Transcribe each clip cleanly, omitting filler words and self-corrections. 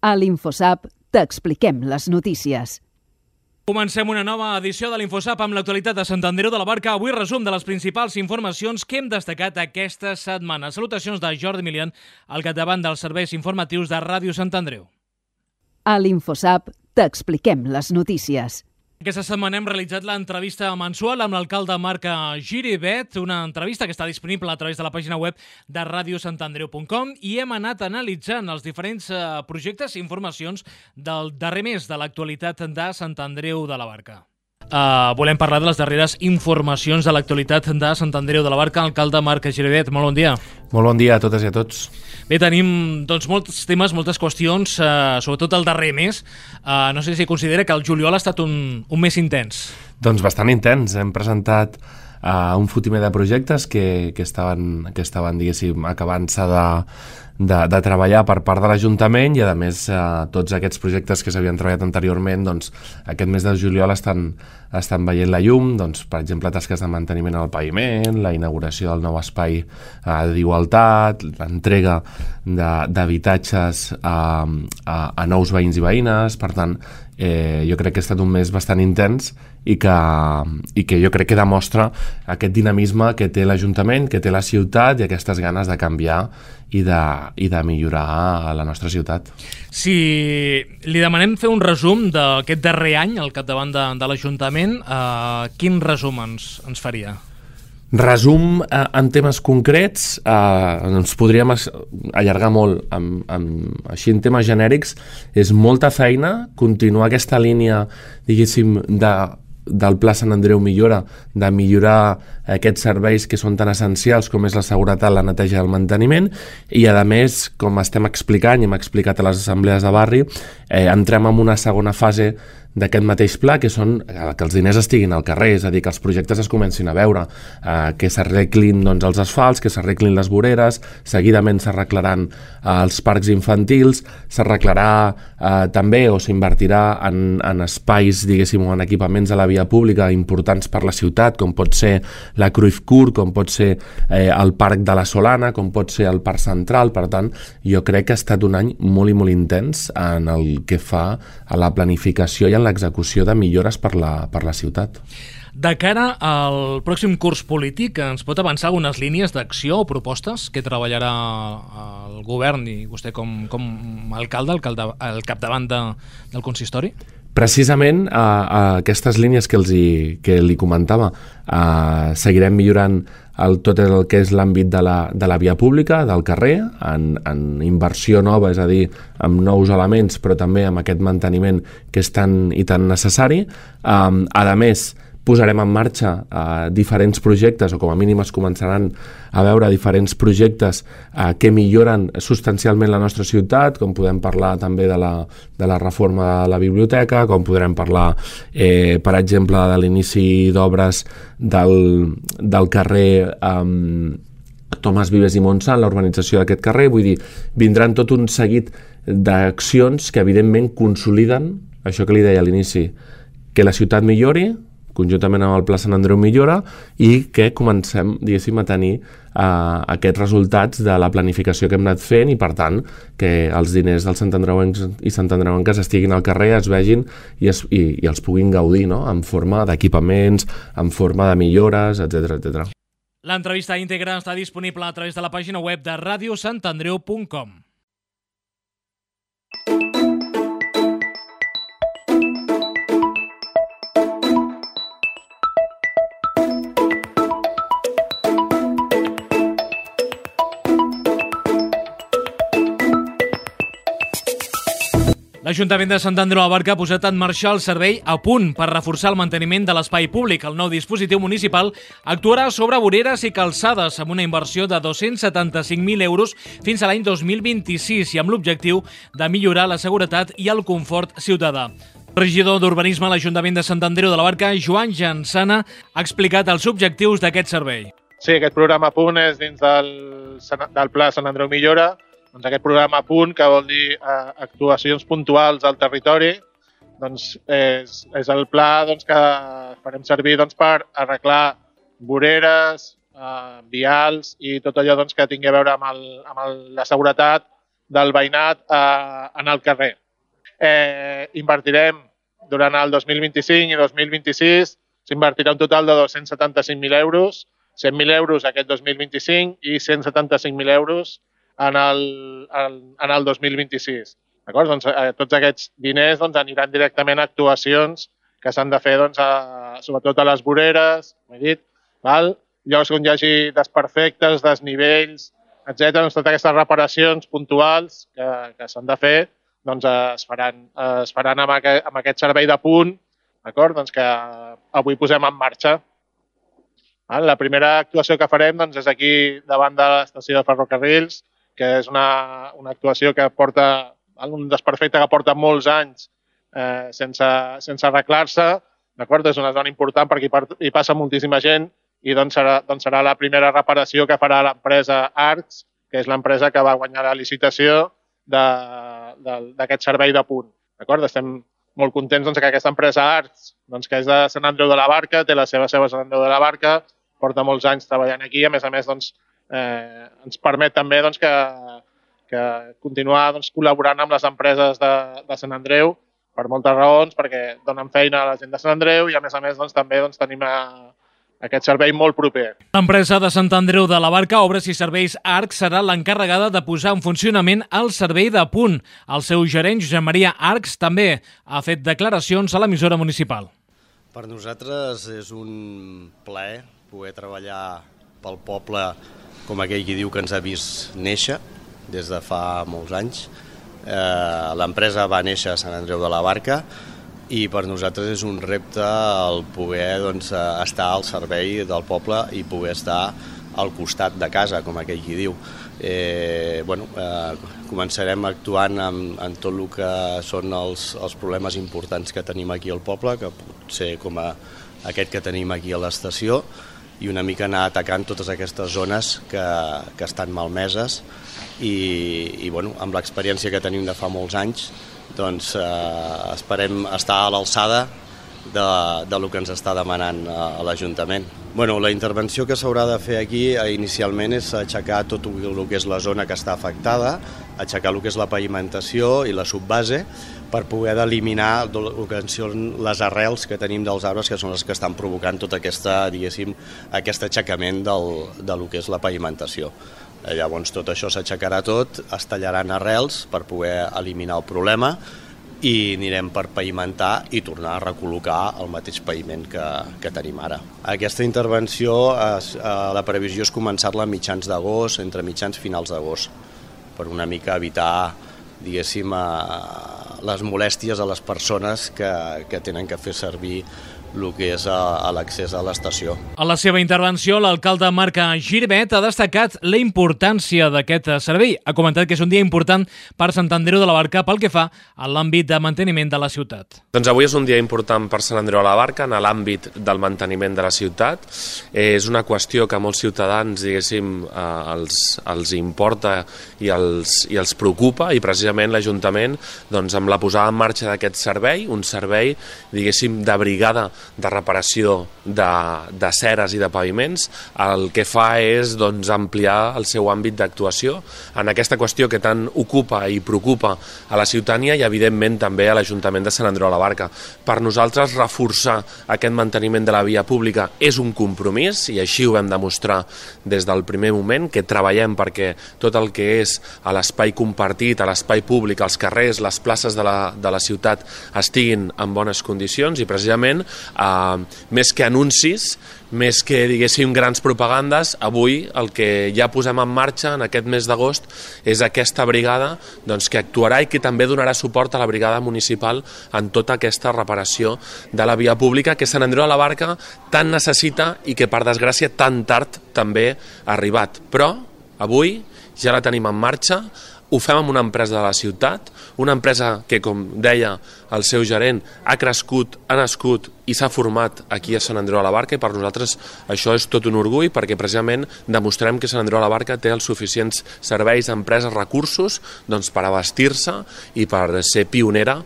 A l'InfoSap t'expliquem les notícies. Comencem una nova edició de l'InfoSap amb l'actualitat de Sant Andreu de la Barca. Avui resum de les principals informacions que hem destacat aquesta setmana. Salutacions de Jordi Milian, al capdavant dels serveis informatius de Ràdio Sant Andreu. A l'InfoSap t'expliquem les notícies. Aquesta setmana hem realitzat l'entrevista mensual amb l'alcalde Marc Giribet, una entrevista que està disponible a través de la pàgina web de radiosantandreu.com i hem anat analitzant els diferents projectes i informacions del darrer mes de l'actualitat de Sant Andreu de la Barca. Volem parlar de les darreres informacions de l'actualitat de Sant Andreu de la Barca. Alcalde Marc Giribet, molt bon dia. Molt bon dia a totes i a tots. Bé, tenim molts temes, moltes qüestions, sobretot el darrer mes. No sé si considera que el juliol ha estat un mes intens. Doncs bastant intens. Hem presentat un fotimer de projectes que estaven diguéssim, acabant-se de treballar per part de l'Ajuntament i, a més, tots aquests projectes que s'havien treballat anteriorment, doncs, aquest mes de juliol estan veient la llum, doncs, per exemple, tasques de manteniment al paviment, la inauguració del nou espai d'igualtat, l'entrega d'habitatges a nous veïns i veïnes. Per tant, jo crec que ha estat un mes bastant intens i que jo crec que demostra aquest dinamisme que té l'Ajuntament, que té la ciutat i aquestes ganes de canviar i de millorar la nostra ciutat. Si li demanem fer un resum d'aquest darrer any al capdavant de l'Ajuntament, quin resum ens faria? Resum en temes concrets, ens podríem allargar molt. Així en temes genèrics, és molta feina continuar aquesta línia, diguéssim, del Pla Sant Andreu Millora, de millorar aquests serveis que són tan essencials com és la seguretat, la neteja i el manteniment, i a més, com estem explicant i hem explicat a les assemblees de barri, entrem en una segona fase d'aquest mateix pla, que són que els diners estiguin al carrer, és a dir, que els projectes es comencin a veure, que s'arreglin els asfalts, que s'arreglin les voreres, seguidament s'arreglaran els parcs infantils, s'arreglarà també o s'invertirà en espais, diguéssim, o en equipaments de la via pública importants per la ciutat, com pot ser la Cruyff Court, com pot ser el Parc de la Solana, com pot ser el Parc Central. Per tant, jo crec que ha estat un any molt i molt intens en el que fa a la planificació i en l'execució de millores per la ciutat. De cara al pròxim curs polític, ens pot avançar algunes línies d'acció o propostes que treballarà el govern i vostè com a alcalde, al capdavant del consistori? Precisament aquestes línies que li comentava, seguirem millorant tot el que és l'àmbit de la via pública, del carrer, en inversió nova, és a dir, amb nous elements, però també amb aquest manteniment que és tan i tan necessari. A més, posarem en marxa diferents projectes, o com a mínim es començaran a veure diferents projectes que milloren substancialment la nostra ciutat, com podem parlar també de la reforma de la biblioteca, com podrem parlar, per exemple, de l'inici d'obres del carrer Tomàs Vives i Montsant, la urbanització d'aquest carrer. Vull dir, vindran tot un seguit d'accions que evidentment consoliden això que li deia a l'inici, que la ciutat millori, conjuntament amb el Pla Sant Andreu Millora, i que comencem, diguéssim, a tenir aquests resultats de la planificació que hem anat fent i, per tant, que els diners dels santandreuencs i santandreuenques estiguin al carrer, es vegin i els puguin gaudir, no?, en forma d'equipaments, en forma de millores, etc. L'entrevista íntegra està disponible a través de la pàgina web de radiosantandreu.com. L'Ajuntament de Sant Andreu de la Barca ha posat en marxa el servei A Punt per reforçar el manteniment de l'espai públic. El nou dispositiu municipal actuarà sobre voreres i calçades amb una inversió de 275.000 euros fins a l'any 2026 i amb l'objectiu de millorar la seguretat i el confort ciutadà. El regidor d'Urbanisme a l'Ajuntament de Sant Andreu de la Barca, Joan Jansana, ha explicat els objectius d'aquest servei. Sí, aquest programa A Punt és dins del Pla Sant Andreu Millora. Doncs aquest programa A Punt, que vol dir actuacions puntuals al territori, doncs és el pla que farem servir per arreglar voreres, vials i tot allò que tingui a veure amb la seguretat del veïnat en el carrer. Invertirem durant el 2025 i 2026, s'invertirà un total de 275.000 euros, 100.000 euros aquest 2025 i 175.000 euros en el 2026. D'acord? Doncs, tots aquests diners aniran directament a actuacions que s'han de fer sobretot a les voreres, com he dit, llocs on hi hagi desperfectes, desnivells, etc. Doncs totes aquestes reparacions puntuals que s'han de fer es faran amb aquest servei de punt, d'acord? Doncs que avui posem en marxa. La primera actuació que farem és aquí davant de l'estació de ferrocarrils, que és una actuació que porta un desperfecte que porta molts anys sense arreglar-se. És una zona important perquè hi passa moltíssima gent i serà la primera reparació que farà l'empresa Arcs, que és l'empresa que va guanyar la licitació d'aquest servei de punt. Estem molt contents que aquesta empresa Arcs, que és de Sant Andreu de la Barca, té la seva seu a Sant Andreu de la Barca, porta molts anys treballant aquí, a més, ens permet també que continuar continuar col·laborant amb les empreses de Sant Andreu per moltes raons, perquè donen feina a la gent de Sant Andreu i, a més, també tenim aquest servei molt proper. L'empresa de Sant Andreu de la Barca, Obres i Serveis Arcs, serà l'encarregada de posar en funcionament el servei de punt. El seu gerent, Josep Maria Arcs, també ha fet declaracions a l'emissora municipal. Per nosaltres és un plaer poder treballar pel poble com aquell qui diu que ens ha vist néixer des de fa molts anys. L'empresa va néixer a Sant Andreu de la Barca i per nosaltres és un repte el poder estar al servei del poble i poder estar al costat de casa, com aquell qui diu. Començarem actuant en tot el que són els problemes importants que tenim aquí al poble, que pot ser com aquest que tenim aquí a l'estació, i una mica anar atacant totes aquestes zones que estan malmeses i amb l'experiència que tenim de fa molts anys esperem estar a l'alçada del que ens està demanant l'Ajuntament. La intervenció que s'haurà de fer aquí inicialment és aixecar tot el que és la zona que està afectada, aixecar el que és la pavimentació i la subbase per poder eliminar el que són les arrels que tenim dels arbres, que són les que estan provocant tot aquest aixecament del que és la pavimentació. Llavors tot això s'aixecarà tot, es tallaran arrels per poder eliminar el problema i anirem per pavimentar i tornar a recol·locar el mateix paviment que tenim ara. Aquesta intervenció, la previsió és començar-la a mitjans d'agost, entre mitjans finals d'agost, per una mica evitar, diguéssim, les molèsties a les persones que tenen que fer servir el que és l'accés a l'estació. A la seva intervenció, l'alcalde Marc Girvet ha destacat la importància d'aquest servei. Ha comentat que és un dia important per Sant Andreu de la Barca pel que fa a l'àmbit de manteniment de la ciutat. Doncs avui és un dia important per Sant Andreu de la Barca en l'àmbit del manteniment de la ciutat. És una qüestió que a molts ciutadans, diguéssim, els importa i els preocupa, i precisament l'Ajuntament, amb la posada en marxa d'aquest servei, un servei, diguéssim, de brigada de reparació de ceres i de paviments, el que fa és ampliar el seu àmbit d'actuació en aquesta qüestió que tant ocupa i preocupa a la ciutadania i evidentment també a l'Ajuntament de Sant Andreu de la Barca. Per nosaltres reforçar aquest manteniment de la via pública és un compromís i així ho vam demostrar des del primer moment, que treballem perquè tot el que és a l'espai compartit, a l'espai públic, als carrers, les places de la ciutat estiguin en bones condicions i precisament més que anuncis, més que, diguéssim, grans propagandes, avui el que ja posem en marxa en aquest mes d'agost és aquesta brigada que actuarà i que també donarà suport a la brigada municipal en tota aquesta reparació de la via pública que Sant Andreu de la Barca tant necessita i que, per desgràcia, tan tard també ha arribat. Però avui ja la tenim en marxa, ho fem amb una empresa de la ciutat, una empresa que, com deia el seu gerent, ha crescut, ha nascut i s'ha format aquí a Sant Andreu de la Barca, i per nosaltres això és tot un orgull, perquè precisament demostrem que Sant Andreu de la Barca té els suficients serveis, empreses, recursos per abastir-se i per ser pionera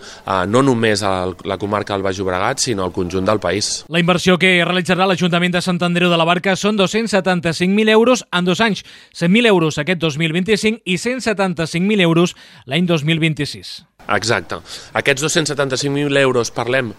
no només a la comarca del Baix Llobregat, sinó al conjunt del país. La inversió que realitzarà l'Ajuntament de Sant Andreu de la Barca són 275.000 euros en 2 anys, 100.000 euros aquest 2025 i 175.000 euros l'any 2026. Exacte. Aquests 275.000 euros parlem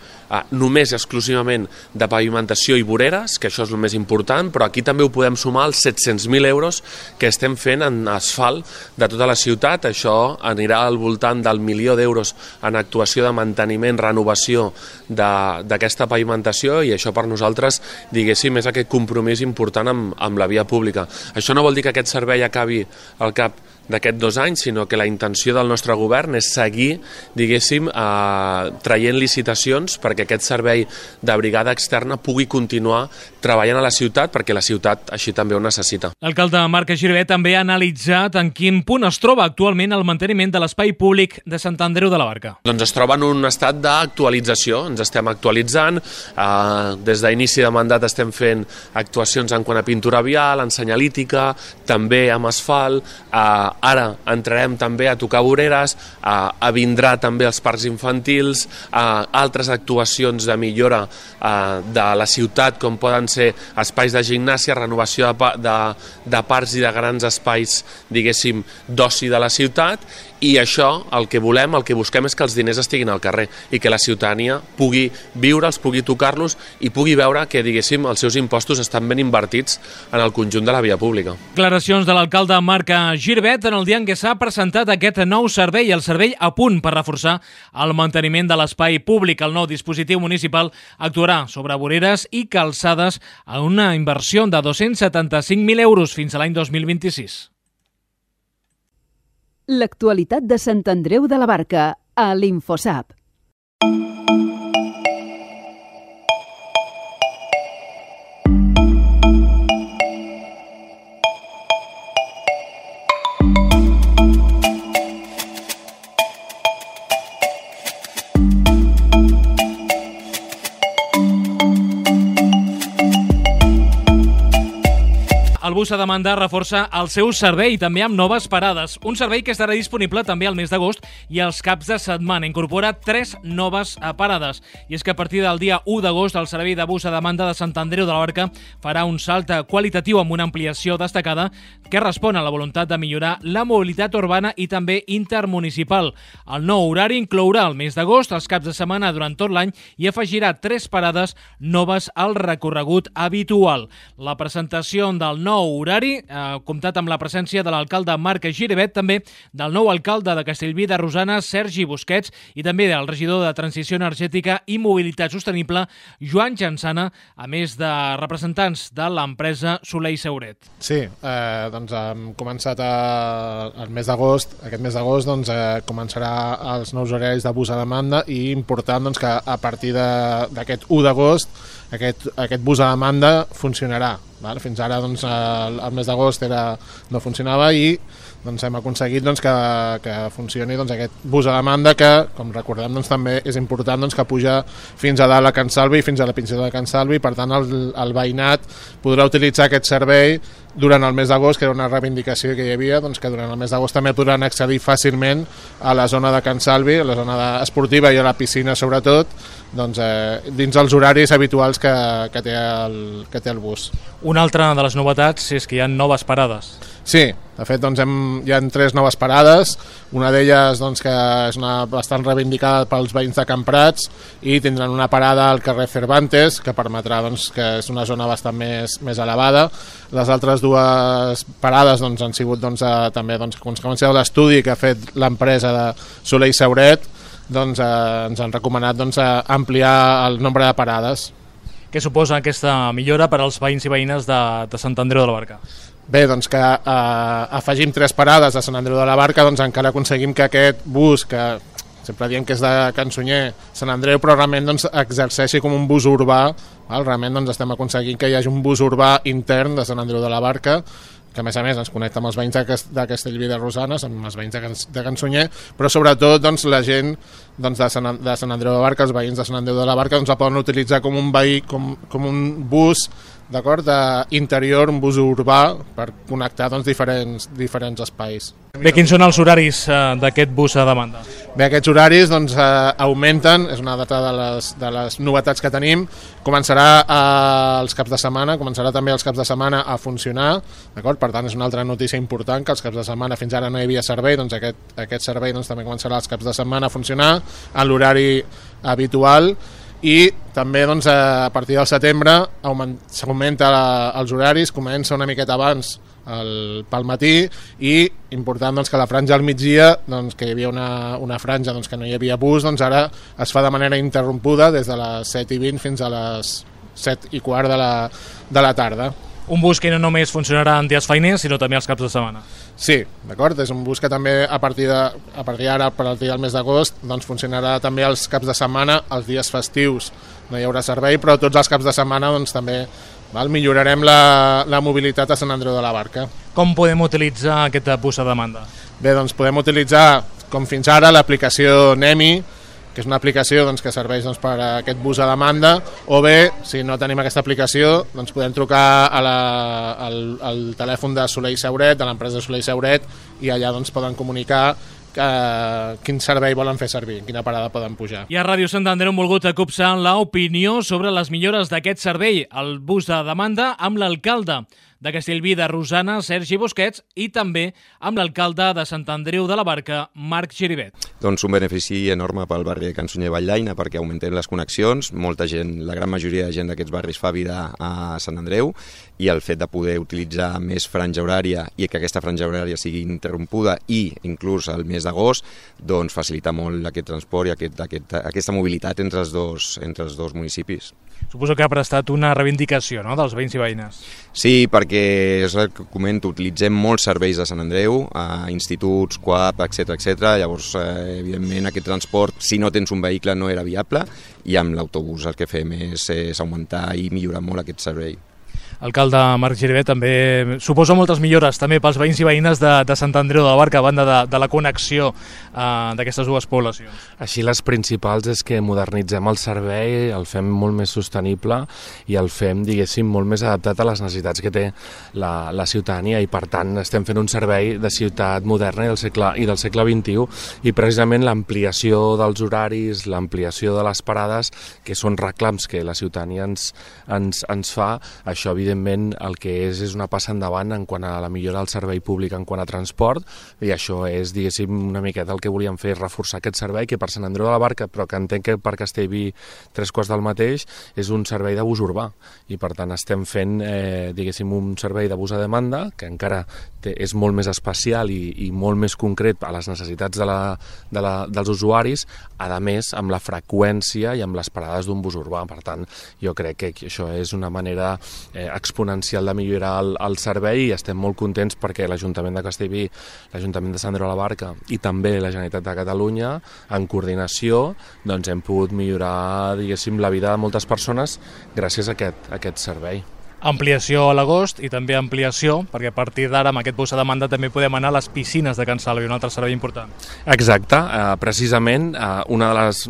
només i exclusivament de pavimentació i voreres, que això és el més important, però aquí també ho podem sumar als 700.000 euros que estem fent en asfalt de tota la ciutat. Això anirà al voltant del 1.000.000 d'euros en actuació de manteniment, renovació d'aquesta pavimentació, i això per nosaltres, diguéssim, és aquest compromís important amb la via pública. Això no vol dir que aquest servei acabi al cap d'aquests 2 anys, sinó que la intenció del nostre govern és seguir, diguéssim, traient licitacions perquè aquest servei de brigada externa pugui continuar treballant a la ciutat, perquè la ciutat així també ho necessita. L'alcalde Marc Giribet també ha analitzat en quin punt es troba actualment el manteniment de l'espai públic de Sant Andreu de la Barca. Doncs es troba en un estat d'actualització, ens estem actualitzant, des d'inici de mandat estem fent actuacions en quant a pintura vial, en senyalítica, també amb asfalt, ara entrarem també a tocar voreres, vindrà també els parcs infantils, altres actuacions de millora de la ciutat, com poden ser espais de gimnàsia, renovació de parcs i de grans espais, diguéssim, d'oci de la ciutat, i això, el que volem, el que busquem és que els diners estiguin al carrer i que la ciutadania pugui viure'ls, pugui tocar-los i pugui veure que, diguéssim, els seus impostos estan ben invertits en el conjunt de la via pública. Declaracions de l'alcalde Marc Giribet en el dia en què s'ha presentat aquest nou servei, el servei a punt per reforçar el manteniment de l'espai públic. El nou dispositiu municipal actuarà sobre voreres i calçades a una inversió de 275.000 euros fins a l'any 2026. L'actualitat de Sant Andreu de la Barca a l'Infosap. El bus a demanda reforça el seu servei, també amb noves parades. Un servei que estarà disponible també al mes d'agost i els caps de setmana. Incorpora 3 noves parades. I és que a partir del dia 1 d'agost el servei de bus a demanda de Sant Andreu de la Barca farà un salt qualitatiu amb una ampliació destacada que respon a la voluntat de millorar la mobilitat urbana i també intermunicipal. El nou horari inclourà el mes d'agost, els caps de setmana durant tot l'any i afegirà 3 parades noves al recorregut habitual. La presentació del nou horari ha comptat amb la presència de l'alcalde Marc Giribet, també del nou alcalde de Castellví de Rosanes, Sergi Busquets, i també del regidor de Transició Energètica i Mobilitat Sostenible, Joan Jansana, a més de representants de l'empresa Soler i Sauret. Sí, doncs hem començat el mes d'agost. Aquest mes d'agost començarà els nous horaris de bus a demanda i important que a partir d'aquest 1 d'agost aquest bus a demanda funcionarà. Fins ara el mes d'agost no funcionava i hem aconseguit que funcioni aquest bus a demanda que, com recordem, també és important que puja fins a dalt a Can Salvi, fins a la Pinzeta de Can Salvi. Per tant, el veïnat podrà utilitzar aquest servei durant el mes d'agost, que era una reivindicació que hi havia, que durant el mes d'agost també podran accedir fàcilment a la zona de Can Salvi, a la zona esportiva i a la piscina sobretot, dins els horaris habituals que té el bus. Una altra de les novetats és que hi ha noves parades. Sí, de fet hi ha 3 noves parades, una d'elles que és bastant reivindicada pels veïns de Can Prats i tindran una parada al carrer Cervantes que permetrà que és una zona bastant més elevada. Les altres 2 parades han sigut també a conseqüència de l'estudi que ha fet l'empresa de Soler i Sauret, ens han recomanat ampliar el nombre de parades. Què suposa aquesta millora per als veïns i veïnes de Sant Andreu de la Barca? Bé, que afegim 3 parades a Sant Andreu de la Barca, encara aconseguim que aquest bus, que sempre diem que és de Can Sunyer, Sant Andreu, però realment exerceixi com un bus urbà. Realment estem aconseguint que hi hagi un bus urbà intern de Sant Andreu de la Barca, que a més ens connecta amb els veïns de Castellví de Rosanes, amb els veïns de Can Sunyer, però sobretot doncs, la gent doncs, de Sant Andreu de la Barca, els veïns de Sant Andreu de la Barca, doncs, la poden utilitzar com un bus, d'acord, interior, un bus urbà per connectar doncs, diferents espais. Bé, quins són els horaris d'aquest bus a demanda? Bé, aquests horaris doncs, augmenten, és una data de les novetats que tenim. Començarà els caps de setmana, començarà també els caps de setmana a funcionar, d'acord? Per tant, és una altra notícia important, que els caps de setmana fins ara no hi havia servei, doncs aquest servei doncs, també començarà els caps de setmana a funcionar en l'horari habitual, i també doncs, a partir del setembre s'augmenta els horaris, comença una miqueta abans pel matí, i important doncs, que la franja al migdia, doncs, que hi havia una franja doncs, que no hi havia bus, doncs ara es fa de manera interrompuda des de les 7:20 fins a les 7:15 de la tarda. Un bus que no només funcionarà en dies feiners, sinó també els caps de setmana. Sí, d'acord, és un bus que també a partir d'ara, a partir del mes d'agost, doncs funcionarà també els caps de setmana, els dies festius no hi haurà servei, però tots els caps de setmana doncs, també millorarem la mobilitat a Sant Andreu de la Barca. Com podem utilitzar aquest bus a demanda? Bé, doncs podem utilitzar, com fins ara, l'aplicació NEMI, que és una aplicació doncs, que serveix doncs, per a aquest bus a demanda, o bé, si no tenim aquesta aplicació, doncs podem trucar al telèfon de Soler i Sauret, de l'empresa Soler i Sauret, i allà doncs, poden comunicar quin servei volen fer servir, quina parada poden pujar. I a Ràdio Sant Andreu hem volgut acopsar l'opinió sobre les millores d'aquest servei, el bus de demanda, amb l'alcalde de Castellví de Rosanes, Sergi Busquets, i també amb l'alcalde de Sant Andreu de la Barca, Marc Giribet. Doncs un benefici enorme pel barri de Can Sunyer i Valldaina, perquè augmenten les connexions, molta gent, la gran majoria de gent d'aquests barris fa vida a Sant Andreu, i el fet de poder utilitzar més franja horària i que aquesta franja horària sigui interrompuda i inclús al mes d'agost, doncs facilita molt aquest transport i aquesta mobilitat entre els dos municipis. Suposo que ha prestat una reivindicació, no?, dels veïns i veïnes. Sí, perquè és el que comento, utilitzem molts serveis de Sant Andreu, instituts, CUAP, etc. Llavors, evidentment, aquest transport, si no tens un vehicle, no era viable, i amb l'autobús el que fem és augmentar i millorar molt aquest servei. Alcalde Marc Giribet, també suposa moltes millores també pels veïns i veïnes de Sant Andreu de la Barca, a banda de la connexió d'aquestes dues poblacions. Així les principals és que modernitzem el servei, el fem molt més sostenible i el fem, diguéssim, molt més adaptat a les necessitats que té la ciutadania, i per tant estem fent un servei de ciutat moderna i del segle XXI, i precisament l'ampliació dels horaris, l'ampliació de les parades, que són reclams que la ciutadania ens fa, això evidentment el que és una passa endavant en quant a la millora del servei públic en quant a transport, i això és, diguéssim, una miqueta el que volíem fer, reforçar aquest servei, que per Sant Andreu de la Barca, però que entenc que per Castellví 3/4 del mateix, és un servei de bus urbà, i per tant estem fent, diguéssim, un servei de bus a demanda, que encara és molt més especial i molt més concret a les necessitats dels usuaris, a més amb la freqüència i amb les parades d'un bus urbà. Per tant, jo crec que això és una manera exponencial de millorar el servei, i estem molt contents perquè l'Ajuntament de Castellví, l'Ajuntament de Sant Andreu de la Barca i també la Generalitat de Catalunya, en coordinació, doncs hem pogut millorar, diguéssim, la vida de moltes persones gràcies a aquest servei. Ampliació a l'agost i també ampliació, perquè a partir d'ara amb aquest bus a demanda també podem anar a les piscines de Can Salvi, un altre servei important. Exacte, precisament una de les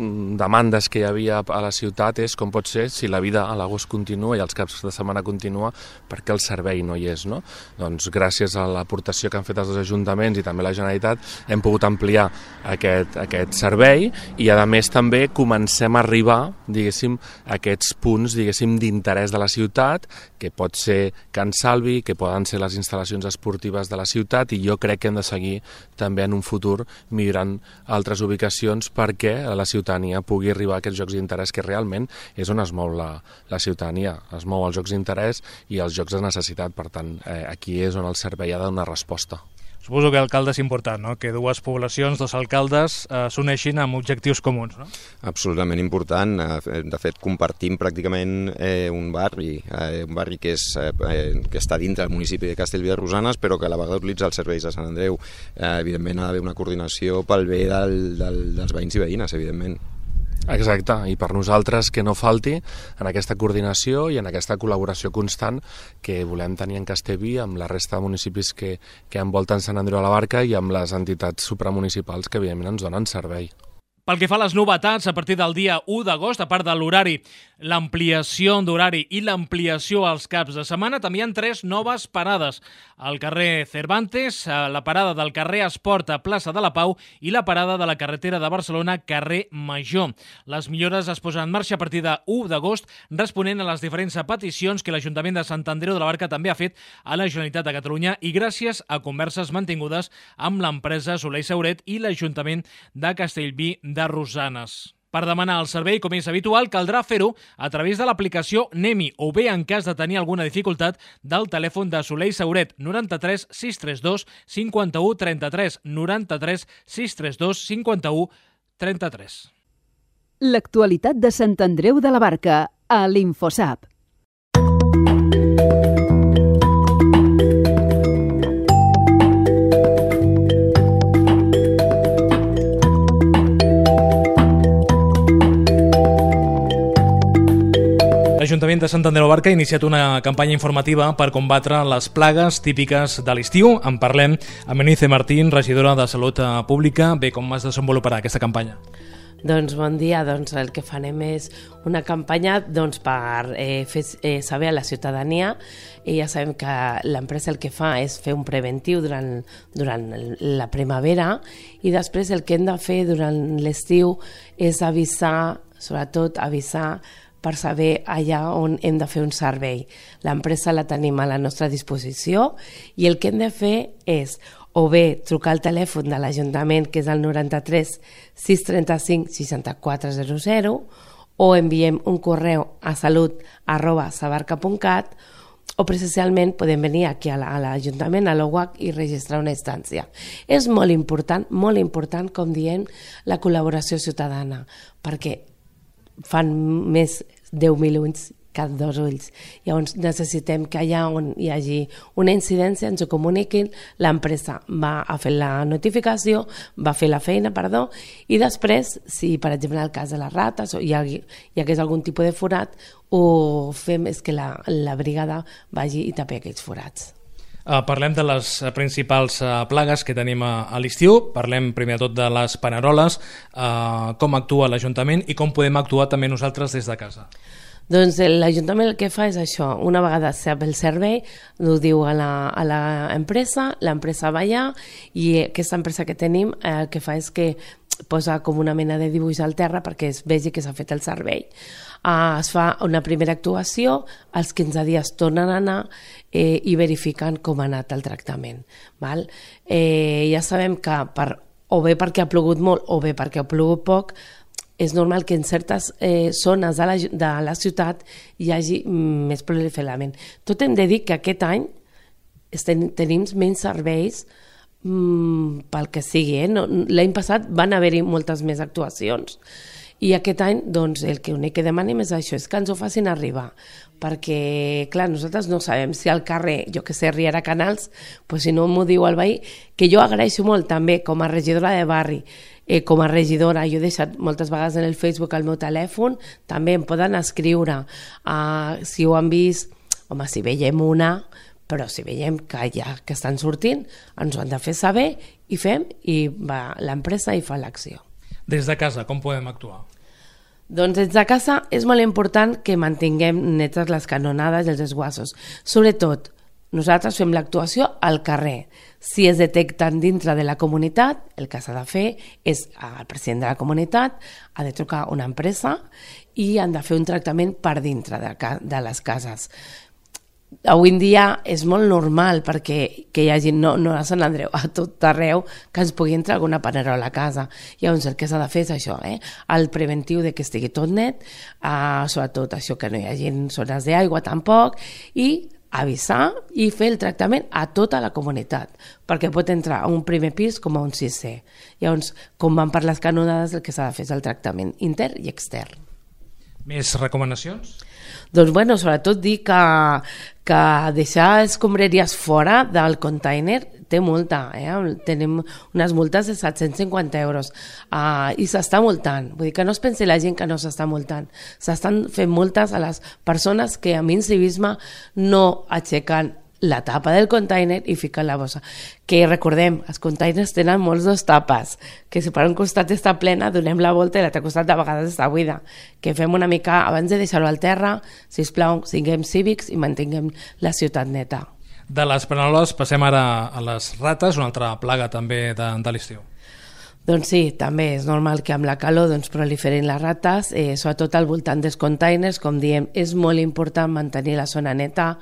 demandes que hi havia a la ciutat és com pot ser, si la vida a l'agost continua i els caps de setmana continua, perquè el servei no hi és, no? Doncs gràcies a l'aportació que han fet els ajuntaments i també la Generalitat hem pogut ampliar aquest servei, i a més també comencem a arribar, diguéssim, a aquests punts, diguéssim, d'interès de la ciutat, que pot ser Can Salvi, que poden ser les instal·lacions esportives de la ciutat, i jo crec que hem de seguir també en un futur millorant altres ubicacions perquè la ciutadania pugui arribar a aquests jocs d'interès, que realment és on es mou la ciutadania, es mou els jocs d'interès i els jocs de necessitat. Per tant, aquí és on el servei ha de donar resposta. Suposo que l'alcalde és important, no?, que dues poblacions, dos alcaldes, s'uneixin amb objectius comuns, no? Absolutament important. De fet, compartim pràcticament un barri que està dintre del municipi de Castellví de Rosanes, però que a la vegada utilitza els serveis de Sant Andreu. Evidentment ha d'haver una coordinació pel bé dels veïns i veïnes, evidentment. Exacte, i per nosaltres que no falti en aquesta coordinació i en aquesta col·laboració constant que volem tenir en Castellví amb la resta de municipis que envolten Sant Andreu de la Barca i amb les entitats supramunicipals que evidentment ens donen servei. Pel que fa a les novetats, a partir del dia 1 d'agost, a part de l'horari, l'ampliació d'horari i l'ampliació als caps de setmana, també hi ha 3 noves parades. Al carrer Cervantes, la parada del carrer Esport a plaça de la Pau i la parada de la carretera de Barcelona, carrer Major. Les millores es posen en marxa a partir de 1 d'agost, responent a les diferents peticions que l'Ajuntament de Sant Andreu de la Barca també ha fet a la Generalitat de Catalunya i gràcies a converses mantingudes amb l'empresa Soler i Sauret i l'Ajuntament de Castellví de Rosanes. Per demanar el servei, com és habitual, caldrà fer-ho a través de l'aplicació Nemi o bé, en cas de tenir alguna dificultat, del telèfon de Soler i Sauret 93 632 51 33 93 632 51 33. L'actualitat de Sant Andreu de la Barca a l'Infosap. L'Ajuntament de Sant Andreu de la Barca ha iniciat una campanya informativa per combatre les plagues típiques de l'estiu. En parlem amb Eunice Martín, regidora de Salut Pública. Bé, com es desenvoluparà aquesta campanya? Doncs bon dia, el que farem és una campanya per fer saber a la ciutadania, i ja sabem que l'empresa el que fa és fer un preventiu durant la primavera, i després el que hem de fer durant l'estiu és avisar, sobretot avisar per saber allà on hem de fer un servei. L'empresa la tenim a la nostra disposició i el que hem de fer és o bé trucar al telèfon de l'Ajuntament, que és el 93 635 6400, o enviem un correu a salut@sabarca.cat, o presencialment podem venir aquí a l'Ajuntament, a l'OUAC, i registrar una instància. És molt important, com diem, la col·laboració ciutadana, perquè fan més 10.000 ulls que 2 ulls. Llavors necessitem que allà on hi hagi una incidència ens ho comuniquin, l'empresa va a fer la notificació, va fer la feina, i després, si per exemple en el cas de les rates o hi hagués algun tipus de forat, ho fem és que la brigada vagi i tapi aquells forats. Parlem de les principals plagues que tenim a l'estiu. Parlem primer de tot de les paneroles, com actua l'Ajuntament i com podem actuar també nosaltres des de casa. Doncs l'Ajuntament el que fa és això, una vegada sap el servei, ho diu a l'empresa, l'empresa va allà, i aquesta empresa que tenim el que fa és que posa com una mena de dibuix al terra perquè es vegi que s'ha fet el servei. Es fa una primera actuació, als 15 dies tornen a anar i verifiquen com ha anat el tractament. Ja sabem que o bé perquè ha plogut molt o bé perquè ha plogut poc, és normal que en certes zones de la ciutat hi hagi més proliferament. Tot hem de dir que aquest any tenim menys serveis pel que sigui. L'any passat van haver-hi moltes més actuacions i aquest any el que únic que demanem és això, és que ens ho facin arribar, perquè clar, nosaltres no sabem si al carrer, jo que sé, Riera Canals, si no m'ho diu el veí, que jo agraeixo molt també com a regidora de barri, com a regidora, jo he deixat moltes vegades en el Facebook el meu telèfon, també em poden escriure si ho han vist, home, si veiem una, però si veiem que que estan sortint, ens ho han de fer saber i fem, i va l'empresa i fa l'acció. Des de casa, com podem actuar? Doncs des de casa és molt important que mantinguem netes les canonades i els desguassos. Sobretot, nosaltres fem l'actuació al carrer. Si es detecten dintre de la comunitat, el que s'ha de fer és el president de la comunitat ha de trucar a una empresa i han de fer un tractament per dintre de les cases. Avui en dia és molt normal perquè que hi hagi, no a Sant Andreu, a tot arreu, que ens pugui entrar alguna panerola a casa. Llavors el que s'ha de fer és això, el preventiu de que estigui tot net, sobretot això que no hi hagi zones d'aigua tampoc, i avisar i fer el tractament a tota la comunitat, perquè pot entrar a un primer pis com a un sisè. Llavors, com van per les canonades, el que s'ha de fer és el tractament intern i extern. Més recomanacions? Doncs sobretot dir que deixar escombraries fora del container té multa, tenim unes multes de 750 euros i s'està multant, vull dir que no es pensi la gent que no s'està multant, s'estan fent multes a les persones que amb incivisme no aixequen la tapa del container i fiquen la bossa. Que recordem, els containers tenen molts dos tapes, que si per un costat està plena, donem la volta i l'altre costat de vegades està buida. Que fem una mica, abans de deixar-ho al terra, sisplau, siguem cívics i mantinguem la ciutat neta. De les penoles passem ara a les rates, una altra plaga també de l'estiu. Doncs sí, també és normal que amb la calor proliferin les rates, sobretot al voltant dels containers, com diem, és molt important mantenir la zona neta,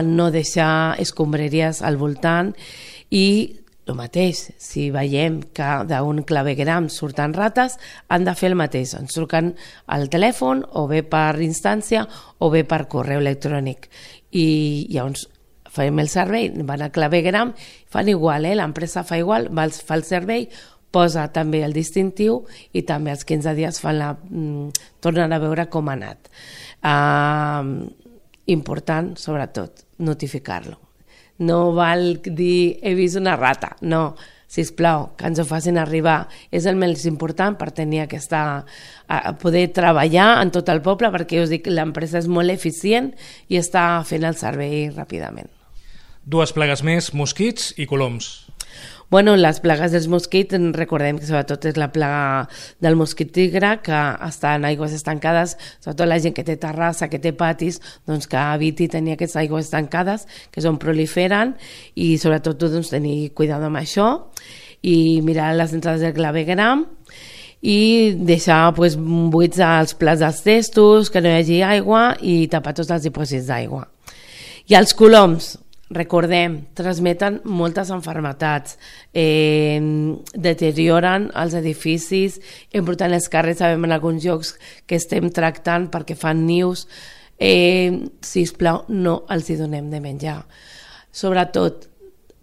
no deixar escombraries al voltant i el mateix, si veiem que d'un clavegueram surten rates, han de fer el mateix, ens truquen al telèfon o bé per instància o bé per correu electrònic i llavors fem el servei, van al clavegueram, fan igual, l'empresa fa igual, fa el servei, posa també el distintiu i també als 15 dies tornen a veure com ha anat. Important, sobretot, notificar-lo. No val dir he vist una rata, no, sisplau, que ens ho facin arribar. És el més important per tenir poder treballar en tot el poble, perquè us dic, l'empresa és molt eficient i està fent el servei ràpidament. Dues plagues més, mosquits i coloms. Bueno, les plagues dels mosquits, recordem que sobretot és la plaga del mosquit tigre, que està en aigües estancades, sobretot la gent que té terrassa, que té patis, doncs que eviti tenir aquestes aigües estancades, que és on proliferen, i sobretot tenir cuidado amb això, i mirar les entrades del clavegueram, i deixar buits als plats dels testos, que no hi hagi aigua, i tapar tots els dipòsits d'aigua. I els coloms, recordem, transmeten moltes malalties, deterioren els edificis, embrutant els carrers, sabem en alguns llocs que estem tractant perquè fan nius, sisplau, no els hi donem de menjar. Sobretot,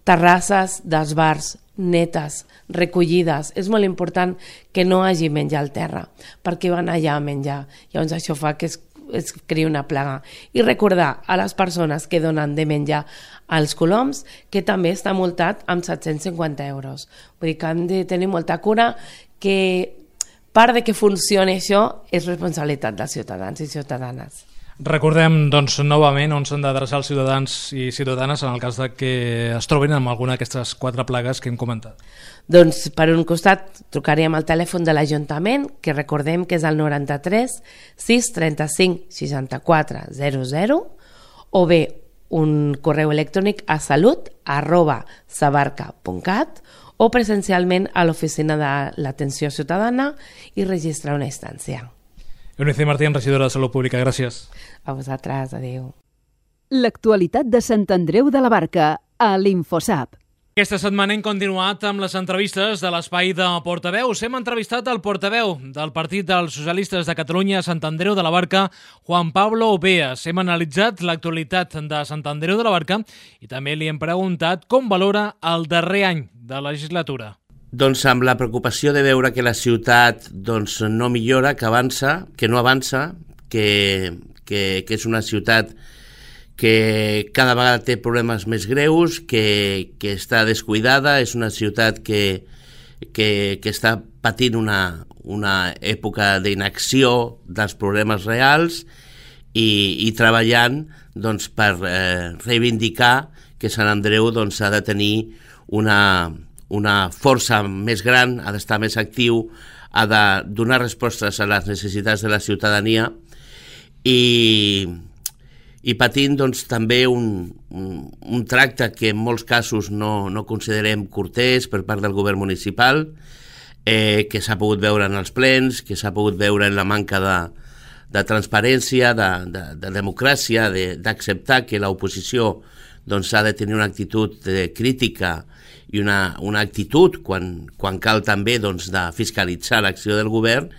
terrasses dels bars netes, recollides, és molt important que no hagi menjar al terra, perquè van allà a menjar, llavors això fa que es crea una plaga. I recordar a les persones que donen de menjar als coloms que també està multat amb 750 euros. Vull dir que hem de tenir molta cura, que part de que funcioni això és responsabilitat dels ciutadans i ciutadanes. Recordem, novament on s'han d'adreçar els ciutadans i ciutadanes en el cas de que es trobin amb alguna d'aquestes 4 plagues que hem comentat. Doncs per un costat trucaríem al telèfon de l'Ajuntament, que recordem que és el 93 635 64 00, o bé un correu electrònic a salut@sabarca.cat o presencialment a l'oficina de l'atenció ciutadana i registrar una instància. Eunice Martín, regidora de Salut Pública, gràcies. A vosaltres, adéu. L'actualitat de Sant Andreu de la Barca, a l'Infosap. Aquesta setmana hem continuat amb les entrevistes de l'espai de portaveus. Hem entrevistat el portaveu del Partit dels Socialistes de Catalunya a Sant Andreu de la Barca, Juan Pablo Beas. Hem analitzat l'actualitat de Sant Andreu de la Barca i també li hem preguntat com valora el darrer any de legislatura. Doncs amb la preocupació de veure que la ciutat no millora, que avança, que no avança, que és una ciutat que cada vegada té problemes més greus, que està descuidada, és una ciutat que està patint una època d'inacció dels problemes reals i treballant per reivindicar que Sant Andreu ha de tenir una força més gran, ha d'estar més actiu, ha de donar respostes a les necessitats de la ciutadania i patint també un tracte que en molts casos no considerem cortès per part del govern municipal, que s'ha pogut veure en els plens, que s'ha pogut veure en la manca de transparència, de democràcia, d'acceptar que l'oposició ha de tenir una actitud crítica i una actitud, quan cal també, de fiscalitzar l'acció del govern,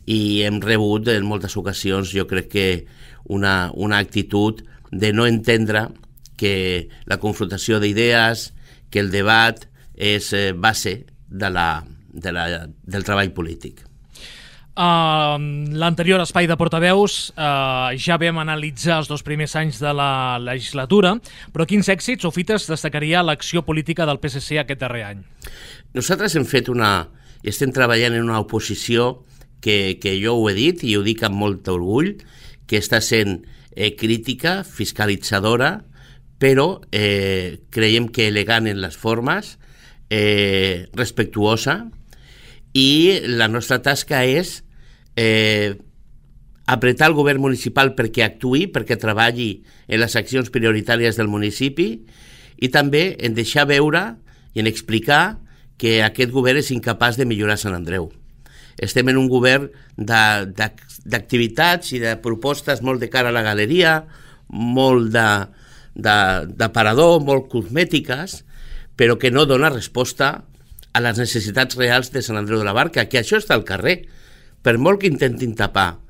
i hem rebut en moltes ocasions, jo crec que una actitud de no entendre que la confrontació d'idees, que el debat és base del treball polític. L'anterior espai de portaveus ja vam analitzar els 2 primers anys de la legislatura, però quins èxits o fites destacaria l'acció política del PSC aquest darrer any? Nosaltres estem treballant en una oposició que jo ho he dit i ho dic amb molt orgull, que està sent crítica, fiscalitzadora, però creiem que elegant en les formes, respectuosa, i la nostra tasca és apretar el govern municipal perquè actuï, perquè treballi en les accions prioritàries del municipi i també en deixar veure i en explicar que aquest govern és incapaç de millorar Sant Andreu. Estem en un govern d'activitats i de propostes molt de cara a la galeria, molt d'aparador, molt cosmètiques, però que no dona resposta a les necessitats reals de Sant Andreu de la Barca, que això està al carrer. Per molt que intentin tapar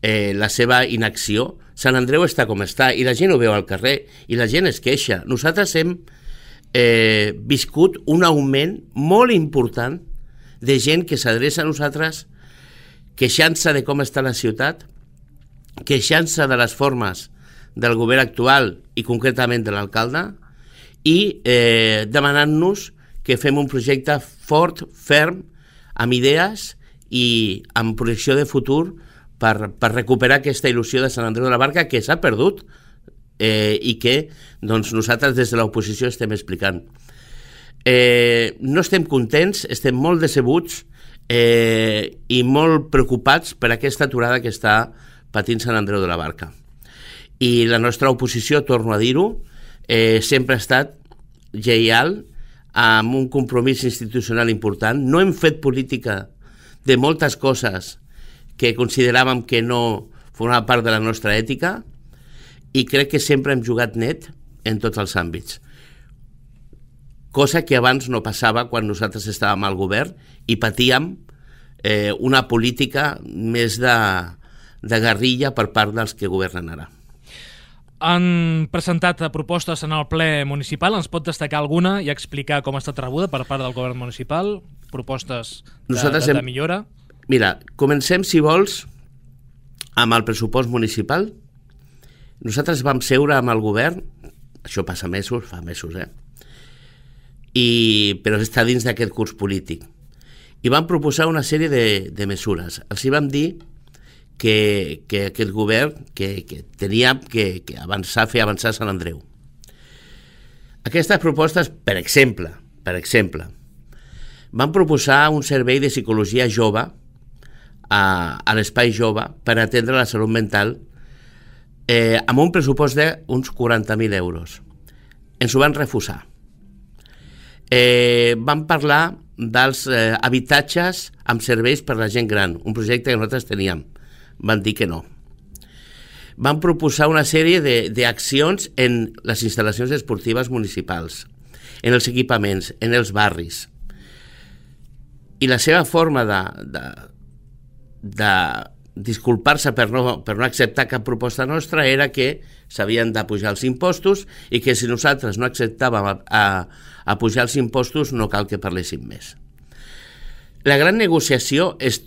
la seva inacció, Sant Andreu està com està i la gent ho veu al carrer i la gent es queixa. Nosaltres hem viscut un augment molt important de gent que s'adreça a nosaltres queixant-se de com està la ciutat, queixant-se de les formes del govern actual i concretament de l'alcalde i demanant-nos que fem un projecte fort, ferm, amb idees i amb projecció de futur per recuperar aquesta il·lusió de Sant Andreu de la Barca que s'ha perdut i que nosaltres des de l'oposició estem explicant. No estem contents, estem molt decebuts i molt preocupats per aquesta aturada que està patint Sant Andreu de la Barca. I la nostra oposició, torno a dir-ho, sempre ha estat lleial amb un compromís institucional important. No hem fet política de moltes coses que consideràvem que no formaven part de la nostra ètica i crec que sempre hem jugat net en tots els àmbits. Cosa que abans no passava quan nosaltres estàvem al govern i patíem una política més de guerrilla per part dels que governen ara. Han presentat propostes en el ple municipal. Ens pot destacar alguna i explicar com ha estat rebuda per part del govern municipal? Propostes de millora? Mira, comencem, si vols, amb el pressupost municipal. Nosaltres vam seure amb el govern, això passa mesos, fa mesos, però està dins d'aquest curs polític. I vam proposar una sèrie de mesures. Els hi vam dir que aquest govern que tenia que avançar, fer avançar Sant Andreu. Aquestes propostes, per exemple, van proposar un servei de psicologia jove a l'espai jove per atendre la salut mental amb un pressupost d'uns 40.000 euros. Ens ho van refusar. Van parlar dels habitatges amb serveis per la gent gran, un projecte que nosaltres teníem. Van dir que no. Van proposar una sèrie d'accions en les instal·lacions esportives municipals, en els equipaments, en els barris. I la seva forma de disculpar-se per no acceptar cap proposta nostra era que s'havien de pujar els impostos i que si nosaltres no acceptàvem a pujar els impostos no cal que parléssim més. La gran negociació es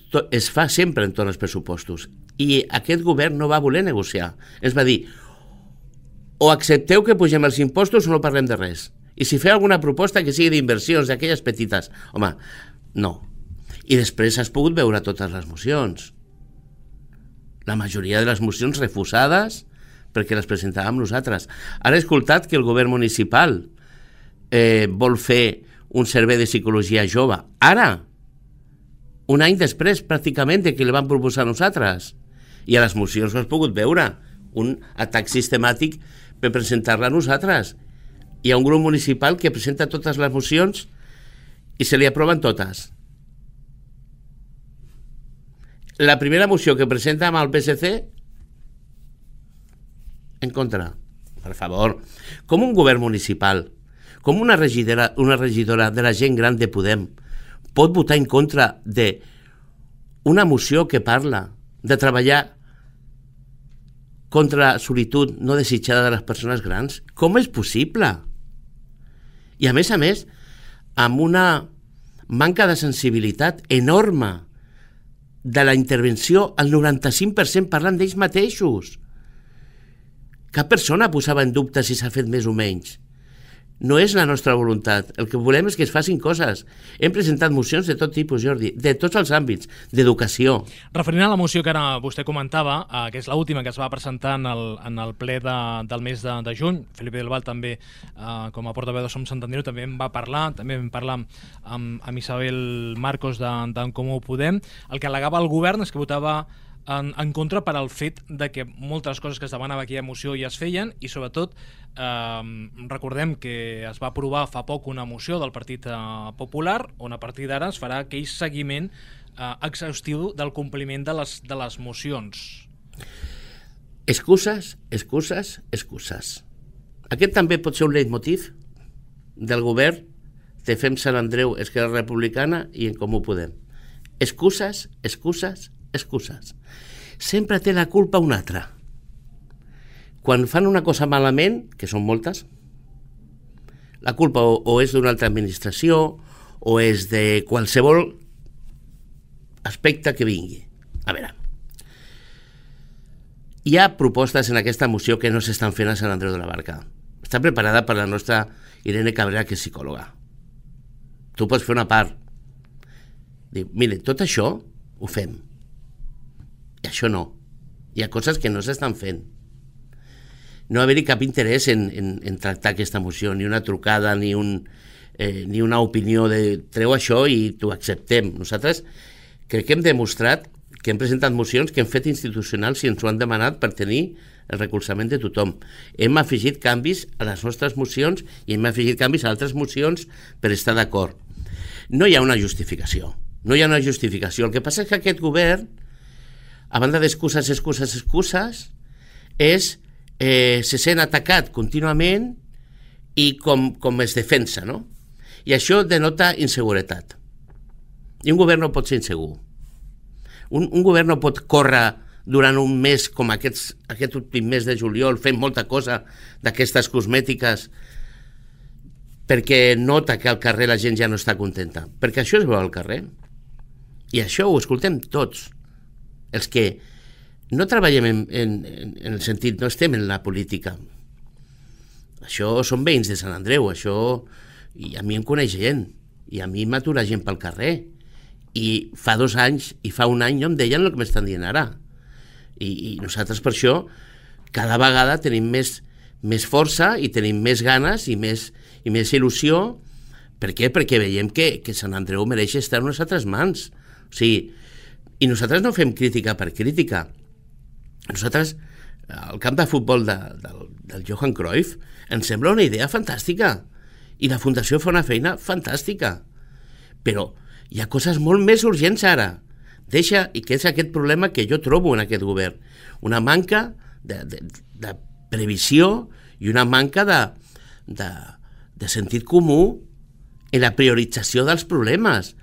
fa sempre entorn als pressupostos i aquest govern no va voler negociar. Ens va dir o accepteu que pugem els impostos o no parlem de res. I si feu alguna proposta que sigui d'inversions, d'aquelles petites. Home, no. I després has pogut veure totes les mocions. La majoria de les mocions refusades perquè les presentàvem nosaltres. Ara he escoltat que el govern municipal vol fer un servei de psicologia jove. Ara! Un any després, pràcticament, que li van proposar a nosaltres. I a les mocions ho has pogut veure. Un atac sistemàtic per presentar-la a nosaltres. Hi ha un grup municipal que presenta totes les mocions i se li aproven totes. La primera moció que presenta amb el PSC, en contra. Per favor. Com un govern municipal, com una regidora de la gent gran de Podem, pot votar en contra d'una moció que parla de treballar contra la solitud no desitjada de les persones grans? Com és possible? I a més, amb una manca de sensibilitat enorme de la intervenció, el 95% parlant d'ells mateixos. Cap persona posava en dubte si s'ha fet més o menys. No és la nostra voluntat. El que volem és que es facin coses. Hem presentat mocions de tot tipus, Jordi, de tots els àmbits, d'educació. Referint a la moció que ara vostè comentava, que és l'última que es va presentar en el ple del mes de juny, Felipe del Val també, com a portaveu de Som Sant Andreu, també en va parlar, també vam parlar amb Isabel Marcos d'en Comú Podem. El que al·legava el govern és que votava en contra per al fet de que moltes coses que es demanava aquella moció ja es feien i sobretot recordem que es va aprovar fa poc una moció del Partit Popular on a partir d'ara es farà aquell seguiment exhaustiu del compliment de les mocions. Excuses, excuses, excuses. Aquest també pot ser un leitmotiv del govern de Fem Sant Andreu, Esquerra Republicana i En Comú Podem. Excuses, excuses, excuses. Sempre té la culpa un altre. Quan fan una cosa malament, que són moltes, la culpa o és d'una altra administració o és de qualsevol aspecte que vingui. A veure, hi ha propostes en aquesta moció que no s'estan fent a Sant Andreu de la Barca. Està preparada per la nostra Irene Cabrera, que és psicòloga. Tu pots fer una part. Diu, mire, tot això ho fem. I això no. Hi ha coses que no s'estan fent. No haver-hi cap interès en tractar aquesta moció, ni una trucada, ni una opinió de treu això i t'ho acceptem. Nosaltres crec que hem demostrat que hem presentat mocions que hem fet institucionals i ens ho han demanat per tenir el recolzament de tothom. Hem afegit canvis a les nostres mocions i hem afegit canvis a altres mocions per estar d'acord. No hi ha una justificació. No hi ha una justificació. El que passa és que aquest govern, a banda d'excuses, excuses, excuses, se sent atacat contínuament i com es defensa, no? I això denota inseguretat. I un govern no pot ser insegur. Un govern no pot córrer durant un mes com aquest últim mes de juliol fent molta cosa d'aquestes cosmètiques perquè nota que al carrer la gent ja no està contenta. Perquè això es veu al carrer. I això ho escoltem tots. Els que no treballem en el sentit, no estem en la política. Això són veïns de Sant Andreu, això, i a mi em coneix gent, i a mi m'atura gent pel carrer. I fa 2 anys, i fa 1 any no em deien el que m'estan dient ara. I nosaltres per això cada vegada tenim més força i tenim més ganes i més il·lusió. Per què? Perquè veiem que Sant Andreu mereix estar en unes altres mans. O sigui, i nosaltres no fem crítica per crítica. Nosaltres, el camp de futbol del Johan Cruyff ens sembla una idea fantàstica i la Fundació fa una feina fantàstica. Però hi ha coses molt més urgents ara. I que és aquest problema que jo trobo en aquest govern. Una manca de previsió i una manca de sentit comú en la priorització dels problemes,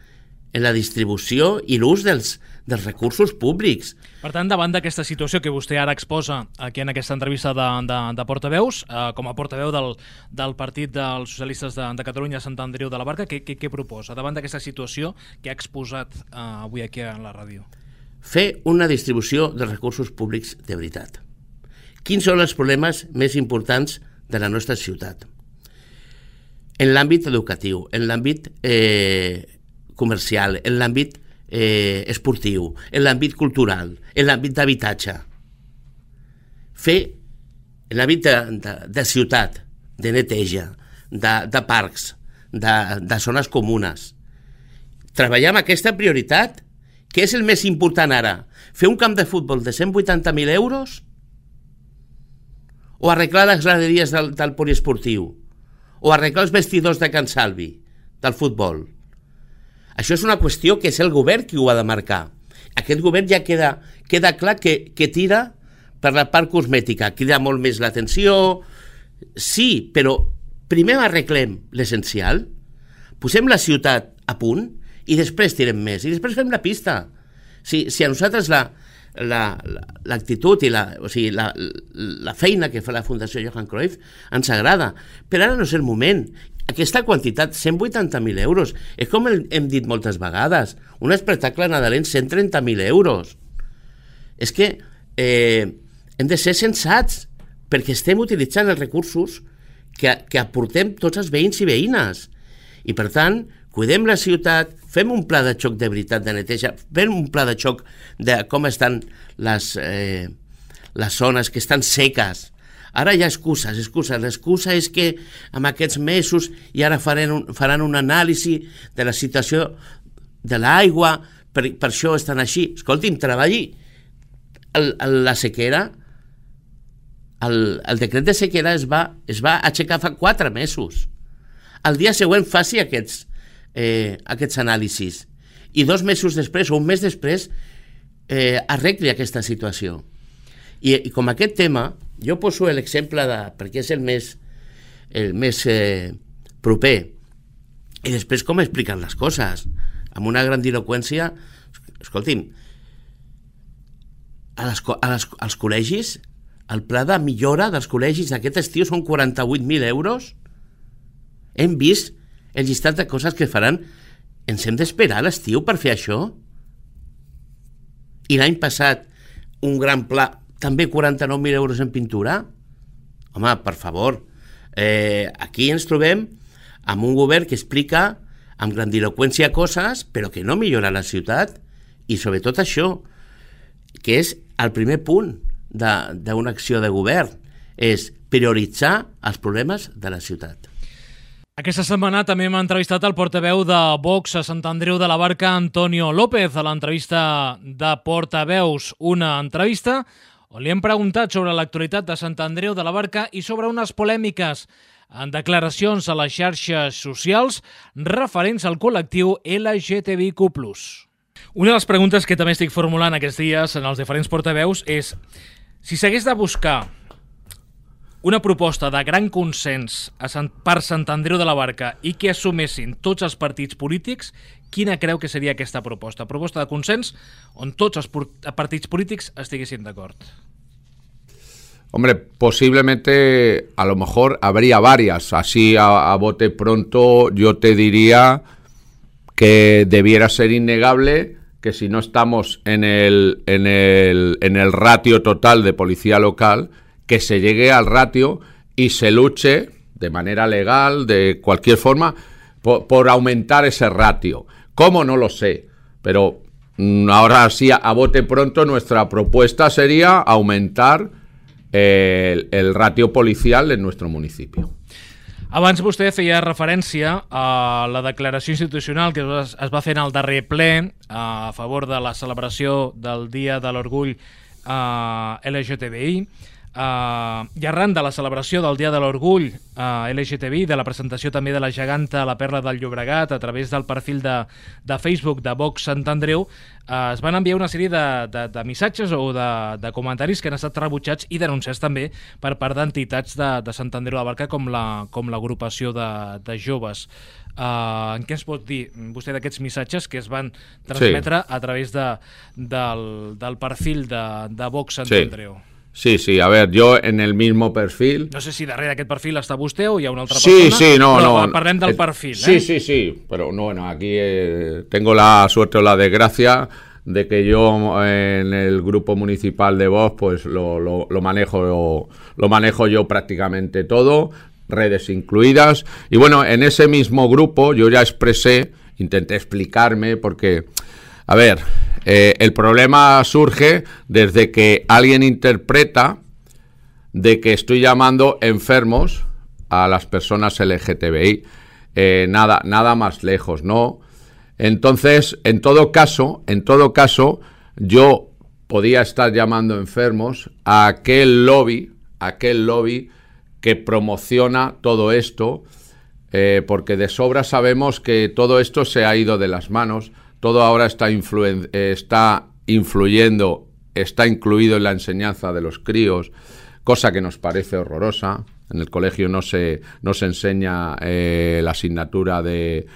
en la distribució i l'ús dels recursos públics. Per tant, davant d'aquesta situació que vostè ara exposa aquí en aquesta entrevista de portaveus, com a portaveu del Partit dels Socialistes de Catalunya, Sant Andreu de la Barca, què proposa davant d'aquesta situació que ha exposat avui aquí a la ràdio? Fer una distribució de recursos públics de veritat. Quins són els problemes més importants de la nostra ciutat? En l'àmbit educatiu, en l'àmbit comercial, en l'àmbit esportiu, en l'àmbit cultural, en l'àmbit d'habitatge. Fer en l'àmbit de ciutat, de neteja, de parcs, de zones comunes. Treballar amb aquesta prioritat, què és el més important ara? Fer un camp de futbol de 180.000 euros o arreglar les graderies del poliesportiu o arreglar els vestidors de Can Salvi del futbol? Això és una qüestió que és el govern qui ho ha de marcar. Aquest govern ja queda clar que tira per la part cosmètica, crida molt més l'atenció. Sí, però primer arreglem l'essencial, posem la ciutat a punt i després tirem més, i després fem la pista. Si a nosaltres l'actitud i la feina que fa la Fundació Johan Cruyff ens agrada, però ara no és el moment. aquesta quantitat, 180.000 euros, és com hem dit moltes vegades, un espectacle nadalenc, 130.000 euros. És que hem de ser sensats, perquè estem utilitzant els recursos que aportem tots els veïns i veïnes. I per tant, cuidem la ciutat, fem un pla de xoc de veritat de neteja, fem un pla de xoc de com estan les zones que estan seques. Ara hi ha excuses. L'excusa és que en aquests mesos i ara faran un anàlisi de la situació de l'aigua, per això estan així. Escolti'm, treballi la sequera. El decret de sequera es va aixecar fa 4 mesos. El dia següent faci aquests anàlisis i 2 mesos després o un mes després arregli aquesta situació. I com aquest tema, jo poso l'exemple perquè és el més proper, i després com expliquen les coses amb una grandiloqüència. Escolti'm, als col·legis, el pla de millora dels col·legis d'aquest estiu són 48.000 euros. Hem vist el llistat de coses que faran. Ens hem d'esperar a l'estiu per fer això? I l'any passat un gran pla, també 49.000 euros en pintura? Home, per favor, aquí ens trobem amb un govern que explica amb grandiloqüència coses, però que no millora la ciutat. I sobretot això, que és el primer punt d'una acció de govern, és prioritzar els problemes de la ciutat. Aquesta setmana també hem entrevistat el portaveu de Vox a Sant Andreu de la Barca, Antonio López, a l'entrevista de Portaveus, una entrevista on li hem preguntat sobre l'actualitat de Sant Andreu de la Barca i sobre unes polèmiques en declaracions a les xarxes socials referents al col·lectiu LGTBIQ+. Una de les preguntes que també estic formulant aquests dies en els diferents portaveus és si s'hagués de buscar una proposta de gran consens per Sant Andreu de la Barca i que assumessin tots els partits polítics, quina creu que seria aquesta proposta? Proposta de consens on tots els partits polítics estiguessin d'acord. Hombre, posiblemente a lo mejor habría varias. Así a bote pronto yo te diría que debiera ser innegable que si no estamos en el ratio total de policía local, que se llegue al ratio y se luche de manera legal, de cualquier forma, por aumentar ese ratio. ¿Cómo? No lo sé, pero ahora sí, a bote pronto, nuestra propuesta sería aumentar el ratio policial en nuestro municipio. Abans vostè feia referència a la declaració institucional que es va fer en el darrer ple a favor de la celebració del Dia de l'Orgull LGTBI. I arran de la celebració del Dia de l'Orgull LGTBI, de la presentació també de la geganta a la Perla del Llobregat a través del perfil de Facebook de Vox Sant Andreu, es van enviar una sèrie de missatges o de comentaris que han estat rebutjats i denunciats també per part d'entitats de Sant Andreu de la Barca com l'agrupació de joves. En què es pot dir vostè d'aquests missatges que es van transmetre a través del perfil de Vox Sant Andreu? Sí, a ver, yo en el mismo perfil... No sé si darrere d'aquest perfil està vostè o hi ha una altra persona. Sí, no. Parlem del perfil, Sí, pero bueno, aquí tengo la suerte o la desgracia de que yo en el grupo municipal de Vox pues lo manejo yo prácticamente todo, redes incluidas. Y bueno, en ese mismo grupo yo ya intenté explicarme porque... A ver, el problema surge desde que alguien interpreta de que estoy llamando enfermos a las personas LGTBI. Nada más lejos, ¿no? Entonces, en todo caso, yo podía estar llamando enfermos a aquel lobby que promociona todo esto, porque de sobra sabemos que todo esto se ha ido de las manos. Todo ahora está influyendo, está incluido en la enseñanza de los críos, cosa que nos parece horrorosa. En el colegio no se enseña la asignatura de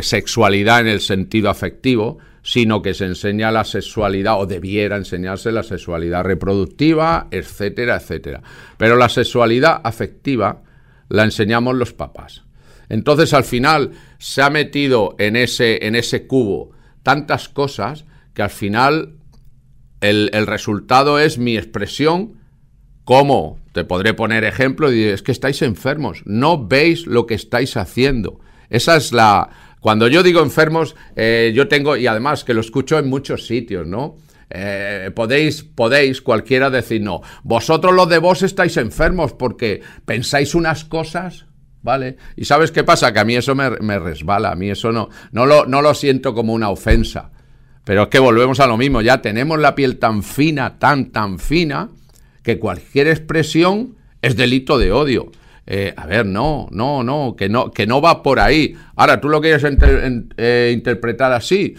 sexualidad en el sentido afectivo, sino que se enseña la sexualidad, o debiera enseñarse la sexualidad reproductiva, etcétera, etcétera. Pero la sexualidad afectiva la enseñamos los papás. Entonces, al final, se ha metido en ese cubo tantas cosas que al final el resultado es mi expresión. ¿Cómo? Te podré poner ejemplo y es que estáis enfermos, no veis lo que estáis haciendo. Esa es la... Cuando yo digo enfermos, yo tengo, y además que lo escucho en muchos sitios, ¿no? Podéis cualquiera decir, no, vosotros los de Vox estáis enfermos porque pensáis unas cosas, ¿vale? Y ¿sabes qué pasa? Que a mí eso me resbala, a mí eso no lo siento como una ofensa. Pero es que volvemos a lo mismo, ya tenemos la piel tan fina, tan fina, que cualquier expresión es delito de odio. A ver, no, que no va por ahí. Ahora, tú lo quieres interpretar así.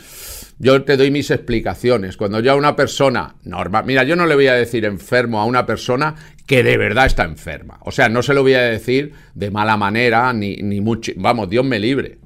Yo te doy mis explicaciones. Cuando yo a una persona normal... Mira, yo no le voy a decir enfermo a una persona que de verdad está enferma. O sea, no se lo voy a decir de mala manera, ni mucho... Vamos, Dios me libre.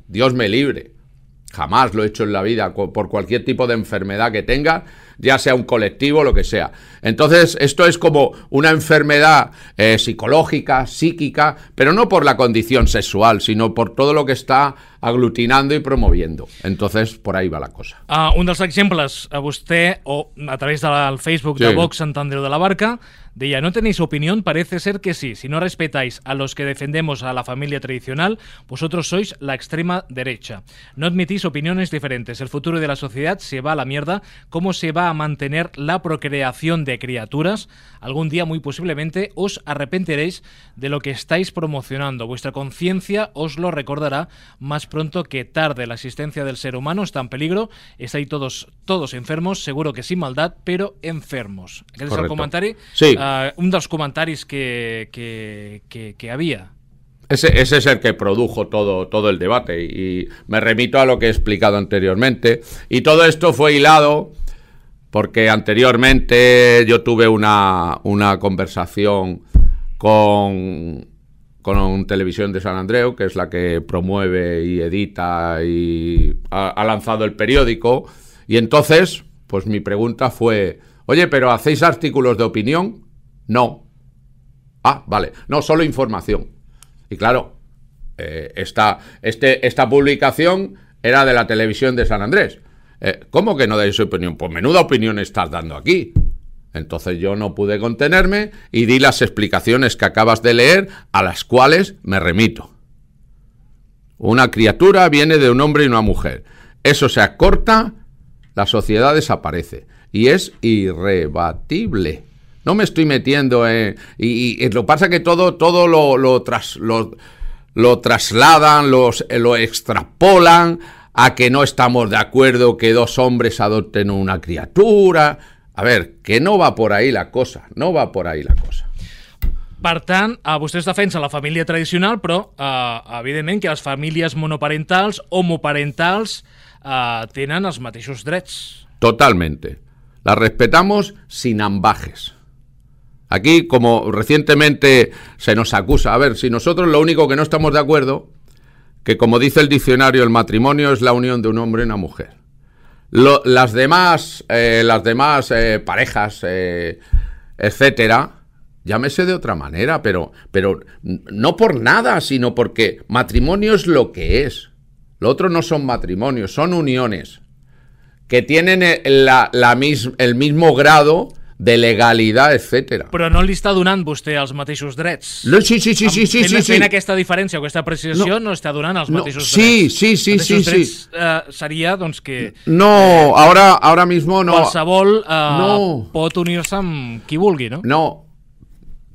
Jamás lo he hecho en la vida, por cualquier tipo de enfermedad que tenga, ya sea un colectivo o lo que sea. Entonces, esto es como una enfermedad psicológica, psíquica, pero no por la condición sexual, sino por todo lo que està aglutinando i promoviendo. Entonces, por ahí va la cosa. Un dels exemples, a vostè, o a través del Facebook de Vox Sant Andreu de la Barca, deia, no tenéis opinión, parece ser que sí. Si no respetáis a los que defendemos a la familia tradicional, vosotros sois la extrema derecha. No admitís opiniones diferentes. El futuro de la sociedad se va a la mierda. ¿Cómo se va a mantener la procreación de criaturas? Algún día, muy posiblemente, os arrepentiréis de lo que estáis promocionando. Vuestra conciencia os lo recordará más pronto que tarde. La existencia del ser humano está en peligro. Estáis todos enfermos, seguro que sin maldad, pero enfermos. Aquest és el comentari? Sí. Un dels comentaris que había. Ese es el que produjo todo el debate y me remito a lo que he explicado anteriormente. Y todo esto fue hilado porque anteriormente yo tuve una conversación con Televisión de San Andreu, que es la que promueve y edita y ha lanzado el periódico. Y entonces, pues mi pregunta fue, oye, ¿pero hacéis artículos de opinión? No. Ah, vale. No, solo información. Y claro, esta publicación era de la Televisión de San Andrés. ¿Cómo que no dais opinión? Pues menuda opinión estás dando aquí. Entonces yo no pude contenerme y di las explicaciones que acabas de leer, a las cuales me remito. Una criatura viene de un hombre y una mujer. Eso se acorta, la sociedad desaparece. Y es irrebatible. No me estoy metiendo y lo que pasa es que todo lo trasladan, lo extrapolan a que no estamos de acuerdo que dos hombres adopten una criatura. A ver, que no va por ahí la cosa, Per tant, vostès defensen la família tradicional, però evidentment que les famílies monoparentals, homoparentals, tenen els mateixos drets. Totalmente. Las respetamos sin ambajes. Aquí, como recientemente se nos acusa, a ver, si nosotros lo único que no estamos de acuerdo, que como dice el diccionario, el matrimonio es la unión de un hombre y una mujer. Las demás parejas, etcétera, llámese de otra manera, pero no por nada, sino porque matrimonio es lo que es. Lo otro no son matrimonios, son uniones que tienen el mismo grado de legalitat, etc. Però no li està donant vostè els mateixos drets. No, sí. Fent aquesta diferència, aquesta precisió, no està donant els mateixos drets. Sí. Drets seria, doncs, que... No, ahora mismo no. Qualsevol pot unir-se amb qui vulgui, ¿no? No.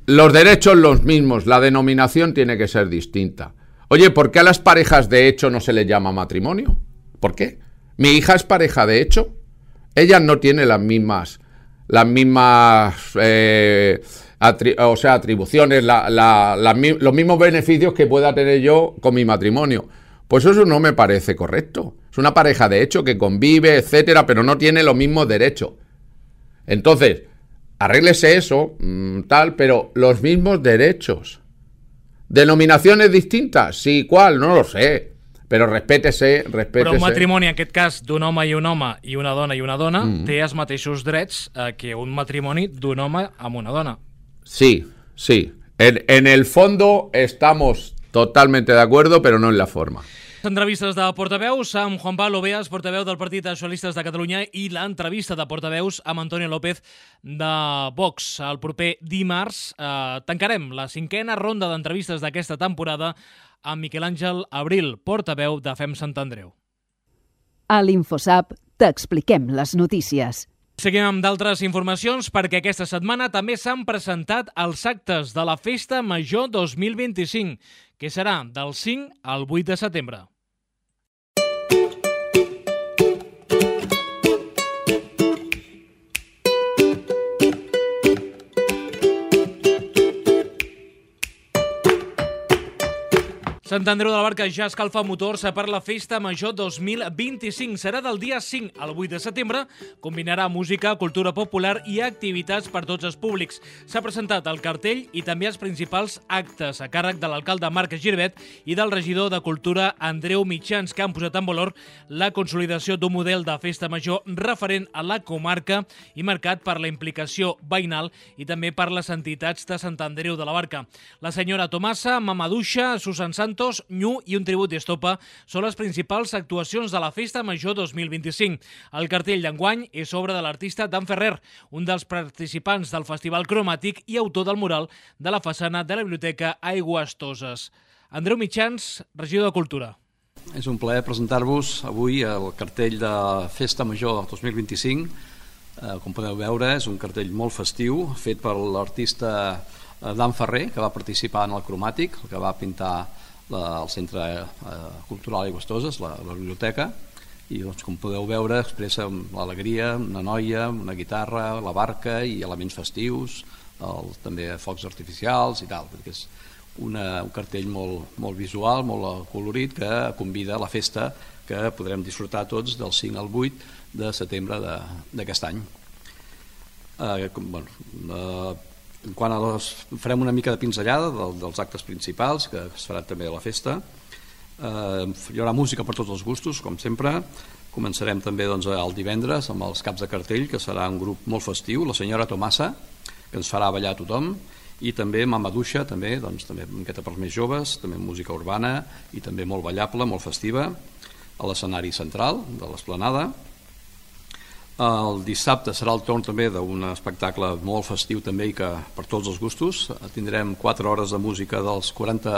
Los derechos los mismos, la denominación tiene que ser distinta. Oye, ¿por qué a las parejas de hecho no se les llama matrimonio? ¿Por qué? Mi hija es pareja de hecho. Ella no tiene las mismas atribuciones, los mismos beneficios que pueda tener yo con mi matrimonio. Pues eso no me parece correcto. Es una pareja de hecho que convive, etcétera, pero no tiene los mismos derechos. Entonces, arréglese eso, pero los mismos derechos. ¿Denominaciones distintas? Sí, ¿cuál? No lo sé. Però respétese. Però un matrimoni, en aquest cas, d'un home i un home i una dona, té els mateixos drets que un matrimoni d'un home amb una dona. Sí. En el fondo estamos totalmente de acuerdo, pero no en la forma. Entrevistes de portaveus amb Juan Pablo Beas, portaveu del Partit dels Socialistes de Catalunya, i l'entrevista de portaveus amb Antonio López de Vox. El proper dimarts tancarem la 5a ronda d'entrevistes d'aquesta temporada amb Miquel Àngel Abril, portaveu de FEM Sant Andreu. A l'InfoSap t'expliquem les notícies. Seguim amb d'altres informacions perquè aquesta setmana també s'han presentat els actes de la Festa Major 2025, que serà del 5 al 8 de setembre. Sant Andreu de la Barca ja escalfa motors per la Festa Major 2025. Serà del dia 5 al 8 de setembre. Combinarà música, cultura popular i activitats per tots els públics. S'ha presentat el cartell i també els principals actes a càrrec de l'alcalde Marc Girbet i del regidor de Cultura Andreu Mitjans, que han posat en valor la consolidació d'un model de festa major referent a la comarca i marcat per la implicació veïnal i també per les entitats de Sant Andreu de la Barca. La senyora Tomasa, Mamaduixa, Susan Santos, Nyu i un tribut d'estopa són les principals actuacions de la Festa Major 2025. El cartell d'enguany és obra de l'artista Dan Ferrer, un dels participants del Festival Cromàtic i autor del mural de la façana de la Biblioteca Aigües Toses. Andreu Mitjans, regidor de Cultura. És un plaer presentar-vos avui el cartell de Festa Major 2025. Com podeu veure, és un cartell molt festiu, fet per l'artista Dan Ferrer, que va participar en el Cromàtic, el que va pintar el Centre Cultural Aigües Toses, la biblioteca, i doncs, com podeu veure expressa l'alegria, una noia, una guitarra, la barca i elements festius, també focs artificials i tal, perquè és un cartell molt visual, molt colorit, que convida a la festa que podrem disfrutar tots del 5 al 8 de setembre d'aquest any. Quan farem una mica de pinzellada dels actes principals que es faran també a la festa, hi haurà música per tots els gustos, com sempre. Començarem també el divendres amb els caps de cartell, que serà un grup molt festiu, la senyora Tomasa, que ens farà ballar a tothom, i també Mamaduixa, també una miqueta per als més joves, també música urbana i també molt ballable, molt festiva, a l'escenari central de l'Esplanada. El dissabte serà el torn també d'un espectacle molt festiu també i que per tots els gustos. Tindrem 4 hores de música dels 40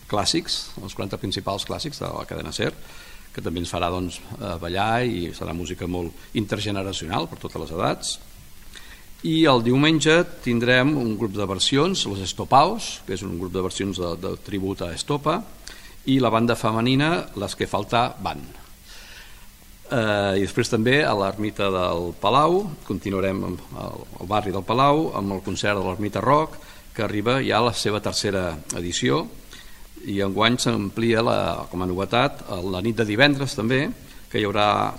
clàssics, els 40 principals clàssics de la cadena SER, que també ens farà ballar i serà música molt intergeneracional per totes les edats. I el diumenge tindrem un grup de versions, los Estopaos, que és un grup de versions de tribut a Estopa, i la banda femenina, Les que falta van. I després també a l'Ermita del Palau, continuarem al barri del Palau amb el concert de l'Ermita Rock, que arriba ja a la seva 3a edició, i enguany s'amplia com a novetat la nit de divendres també, que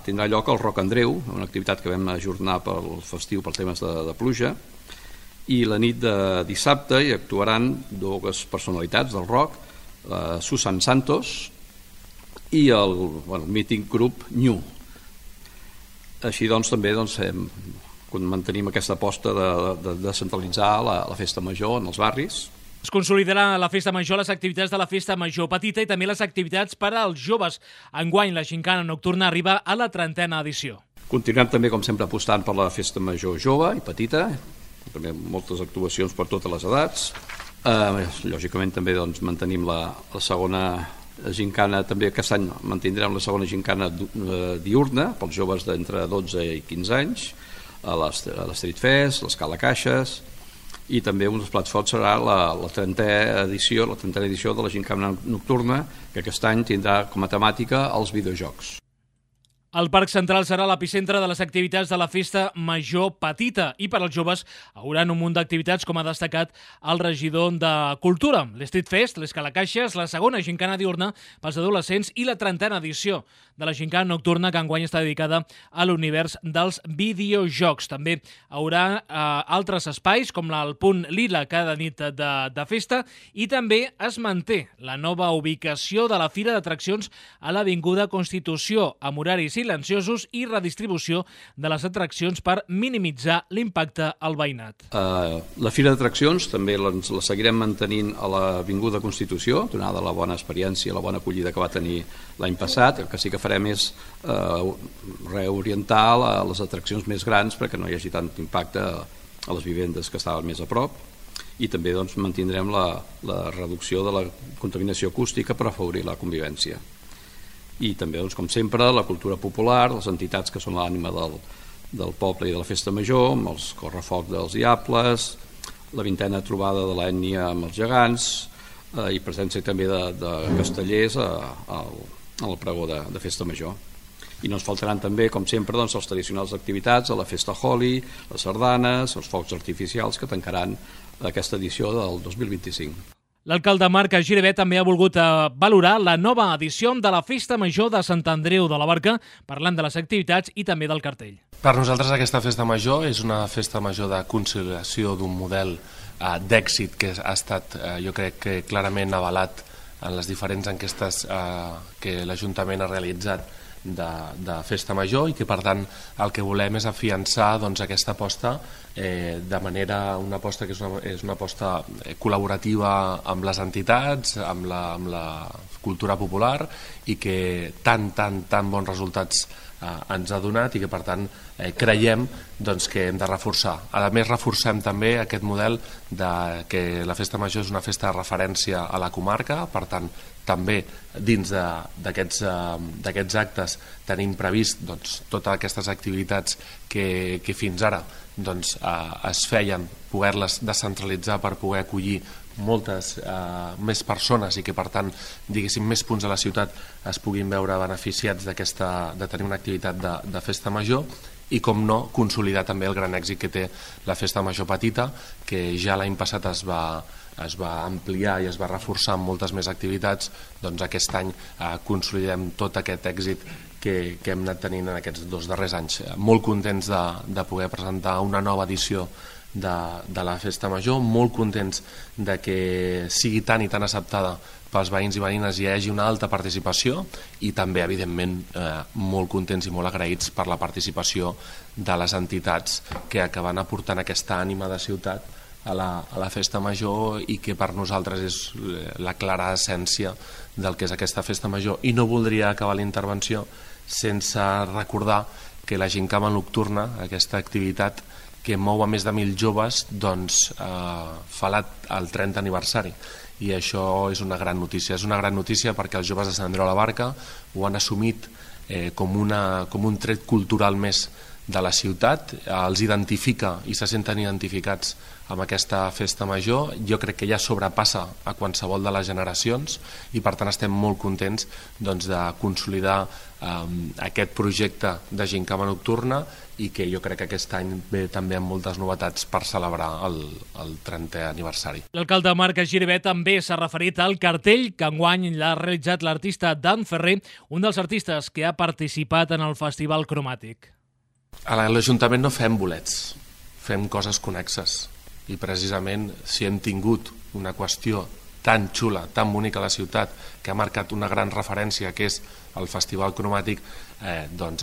tindrà lloc al Rock Andreu, una activitat que vam ajornar pel festiu per temes de pluja, i la nit de dissabte hi actuaran 2 personalitats del rock, Susan Santos i el mític grup Nyu. Així doncs també mantenim aquesta aposta de descentralitzar la festa major en els barris. Es consolidarà la Festa Major, les activitats de la Festa Major Petita i també les activitats per als joves. Enguany la gincana nocturna arriba a la 30a edició. Continuem també, com sempre, apostant per la Festa Major jove i petita, també moltes actuacions per totes les edats. Lògicament també mantenim la segona gincana, també aquest any mantindrem la segona gincana diurna pels joves d'entre 12 i 15 anys, a l'Street Fest, l'Escala Caixes, i també un dels plats forts serà la 30a edició de la gincana nocturna, que aquest any tindrà com a temàtica els videojocs. El Parc Central serà l'epicentre de les activitats de la Festa Major Petita i per als joves haurà un munt d'activitats, com ha destacat el regidor de Cultura. L'Street Fest, l'Escalacaixes, la segona gincana diurna pels adolescents i la 30a edició de la gincana nocturna, que enguany està dedicada a l'univers dels videojocs. També haurà altres espais, com el punt Lila cada nit de festa, i també es manté la nova ubicació de la Fira d'Atraccions a l'Avinguda Constitució, amb horaris i silenciosos i redistribució de les atraccions per minimitzar l'impacte al veïnat. La Fira d'Atraccions també la seguirem mantenint a l'Avinguda Constitució, donada la bona experiència i la bona acollida que va tenir l'any passat. El que sí que farem és reorientar les atraccions més grans perquè no hi hagi tant impacte a les vivendes que estaven més a prop, i també mantindrem la reducció de la contaminació acústica per afavorir la convivència. I també, com sempre, la cultura popular, les entitats que són l'ànima del poble i de la festa major, amb els correfocs dels diables, la 20a trobada de l'ètnia amb els gegants, i presència també de castellers al pregó de festa major. I no ens faltaran també, com sempre, les tradicionals activitats de la festa Holi, les sardanes, els focs artificials que tancaran aquesta edició del 2025. L'alcalde Marc Giribet també ha volgut valorar la nova edició de la Festa Major de Sant Andreu de la Barca, parlant de les activitats i també del cartell. Per nosaltres aquesta Festa Major és una Festa Major de consolidació d'un model d'èxit que ha estat, jo crec, que clarament avalat en les diferents enquestes que l'Ajuntament ha realitzat de Festa Major, i que per tant el que volem és afiançar aquesta aposta de manera, una aposta que és una aposta col·laborativa amb les entitats, amb la cultura popular, i que tan bons resultats ens ha donat, i que per tant creiem que hem de reforçar. A més, reforcem també aquest model que la Festa Major és una festa de referència a la comarca. Per tant, també dins d'aquests actes tenim previst totes aquestes activitats que fins ara es feien, poder-les descentralitzar per poder acollir moltes més persones, i que per tant, diguéssim, més punts de la ciutat es puguin veure beneficiats de tenir una activitat de Festa Major. I, com no, consolidar també el gran èxit que té la Festa Major Petita, que ja l'any passat es va ampliar i es va reforçar amb moltes més activitats. Doncs aquest any consolidem tot aquest èxit que hem anat tenint en aquests 2 darrers anys. Molt contents de poder presentar una nova edició de la Festa Major, molt contents de que sigui tan i tan acceptada pels veïns i veïnes i hi hagi una alta participació, i també, evidentment, molt contents i molt agraïts per la participació de les entitats que acaben aportant aquesta ànima de ciutat a la Festa Major, i que per nosaltres és la clara essència del que és aquesta Festa Major. I no voldria acabar la intervenció sense recordar que la Gincama Nocturna, aquesta activitat que mou a més de 1.000 joves, fa el 30 aniversari. I això és una gran notícia. És una gran notícia perquè els joves de Sant Andreu de la Barca ho han assumit com un tret cultural més de la ciutat, els identifica i se senten identificats amb aquesta Festa Major. Jo crec que ja sobrepassa a qualsevol de les generacions, i per tant estem molt contents de consolidar aquest projecte de Gincama Nocturna, i que jo crec que aquest any ve també amb moltes novetats per celebrar el 30è aniversari. L'alcalde Marc Giribet també s'ha referit al cartell que enguany l'ha realitzat l'artista Dan Ferrer, un dels artistes que ha participat en el Festival Cromàtic. A l'Ajuntament no fem bolets, fem coses connexes, i precisament si hem tingut una qüestió tan xula, tan bonica a la ciutat, que ha marcat una gran referència, que és el Festival Cromàtic,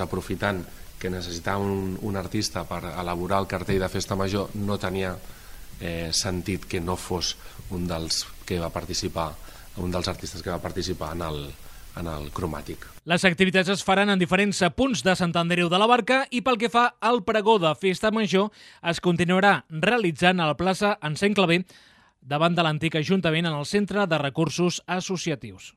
aprofitant que necessitava un artista per elaborar el cartell de Festa Major, no tenia sentit que no fos un dels artistes que va participar en el Cromàtic. Les activitats es faran en diferents punts de Sant Andreu de la Barca, i pel que fa al pregó de Festa Major es continuarà realitzant a la plaça Encenc Clavé, davant de l'antic Ajuntament, en el Centre de Recursos Associatius.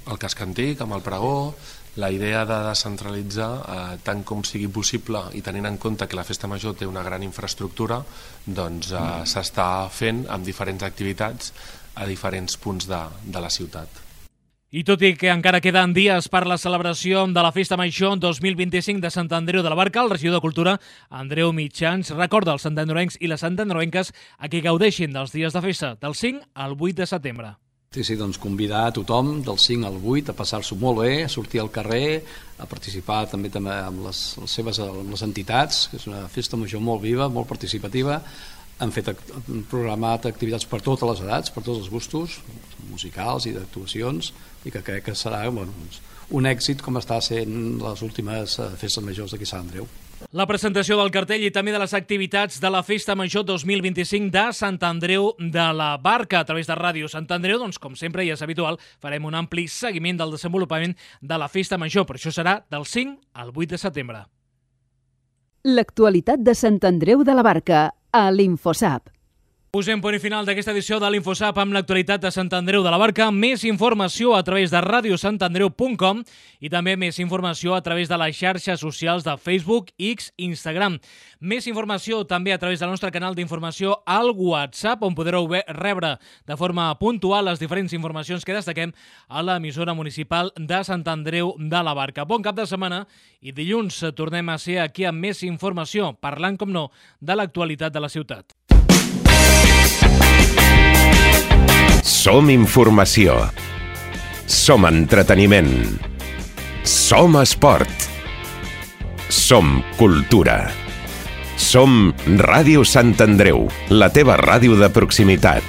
El casc antic, amb el pregó, la idea de descentralitzar tant com sigui possible, i tenint en compte que la Festa Major té una gran infraestructura, s'està fent amb diferents activitats a diferents punts de la ciutat. I tot i que encara queden dies per la celebració de la Festa Major 2025 de Sant Andreu de la Barca, el regidor de Cultura, Andreu Mitjans, recorda als santandreuencs i les santandreuenques a que gaudeixin dels dies de festa del 5 al 8 de setembre. Sí, doncs convidar a tothom del 5 al 8 a passar-s'ho molt bé, a sortir al carrer, a participar també amb les entitats, que és una festa major molt viva, molt participativa, han programat activitats per totes les edats, per tots els gustos, musicals i d'actuacions, i que crec que serà un èxit com està sent les últimes festes majors d'aquí Sant Andreu. La presentació del cartell i també de les activitats de la Festa Major 2025 de Sant Andreu de la Barca a través de Ràdio Sant Andreu, doncs com sempre i és habitual, farem un ampli seguiment del desenvolupament de la Festa Major, però això serà del 5 al 8 de setembre. L'actualitat de Sant Andreu de la Barca a l'Infosap. Posem punt i final d'aquesta edició de l'Infosap amb l'actualitat de Sant Andreu de la Barca. Més informació a través de radiosantandreu.com i també més informació a través de les xarxes socials de Facebook, X, Instagram. Més informació també a través del nostre canal d'informació al WhatsApp, on podreu rebre de forma puntual les diferents informacions que destaquem a l'emissora municipal de Sant Andreu de la Barca. Bon cap de setmana i dilluns tornem a ser aquí amb més informació, parlant, com no, de l'actualitat de la ciutat. Som informació. Som entreteniment. Som esport. Som cultura. Som Ràdio Sant Andreu, la teva ràdio de proximitat.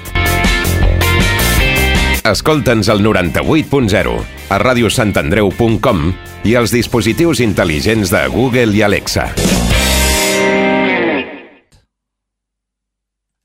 Escolta'ns al 98.0, a radiosantandreu.com i als dispositius intel·ligents de Google i Alexa.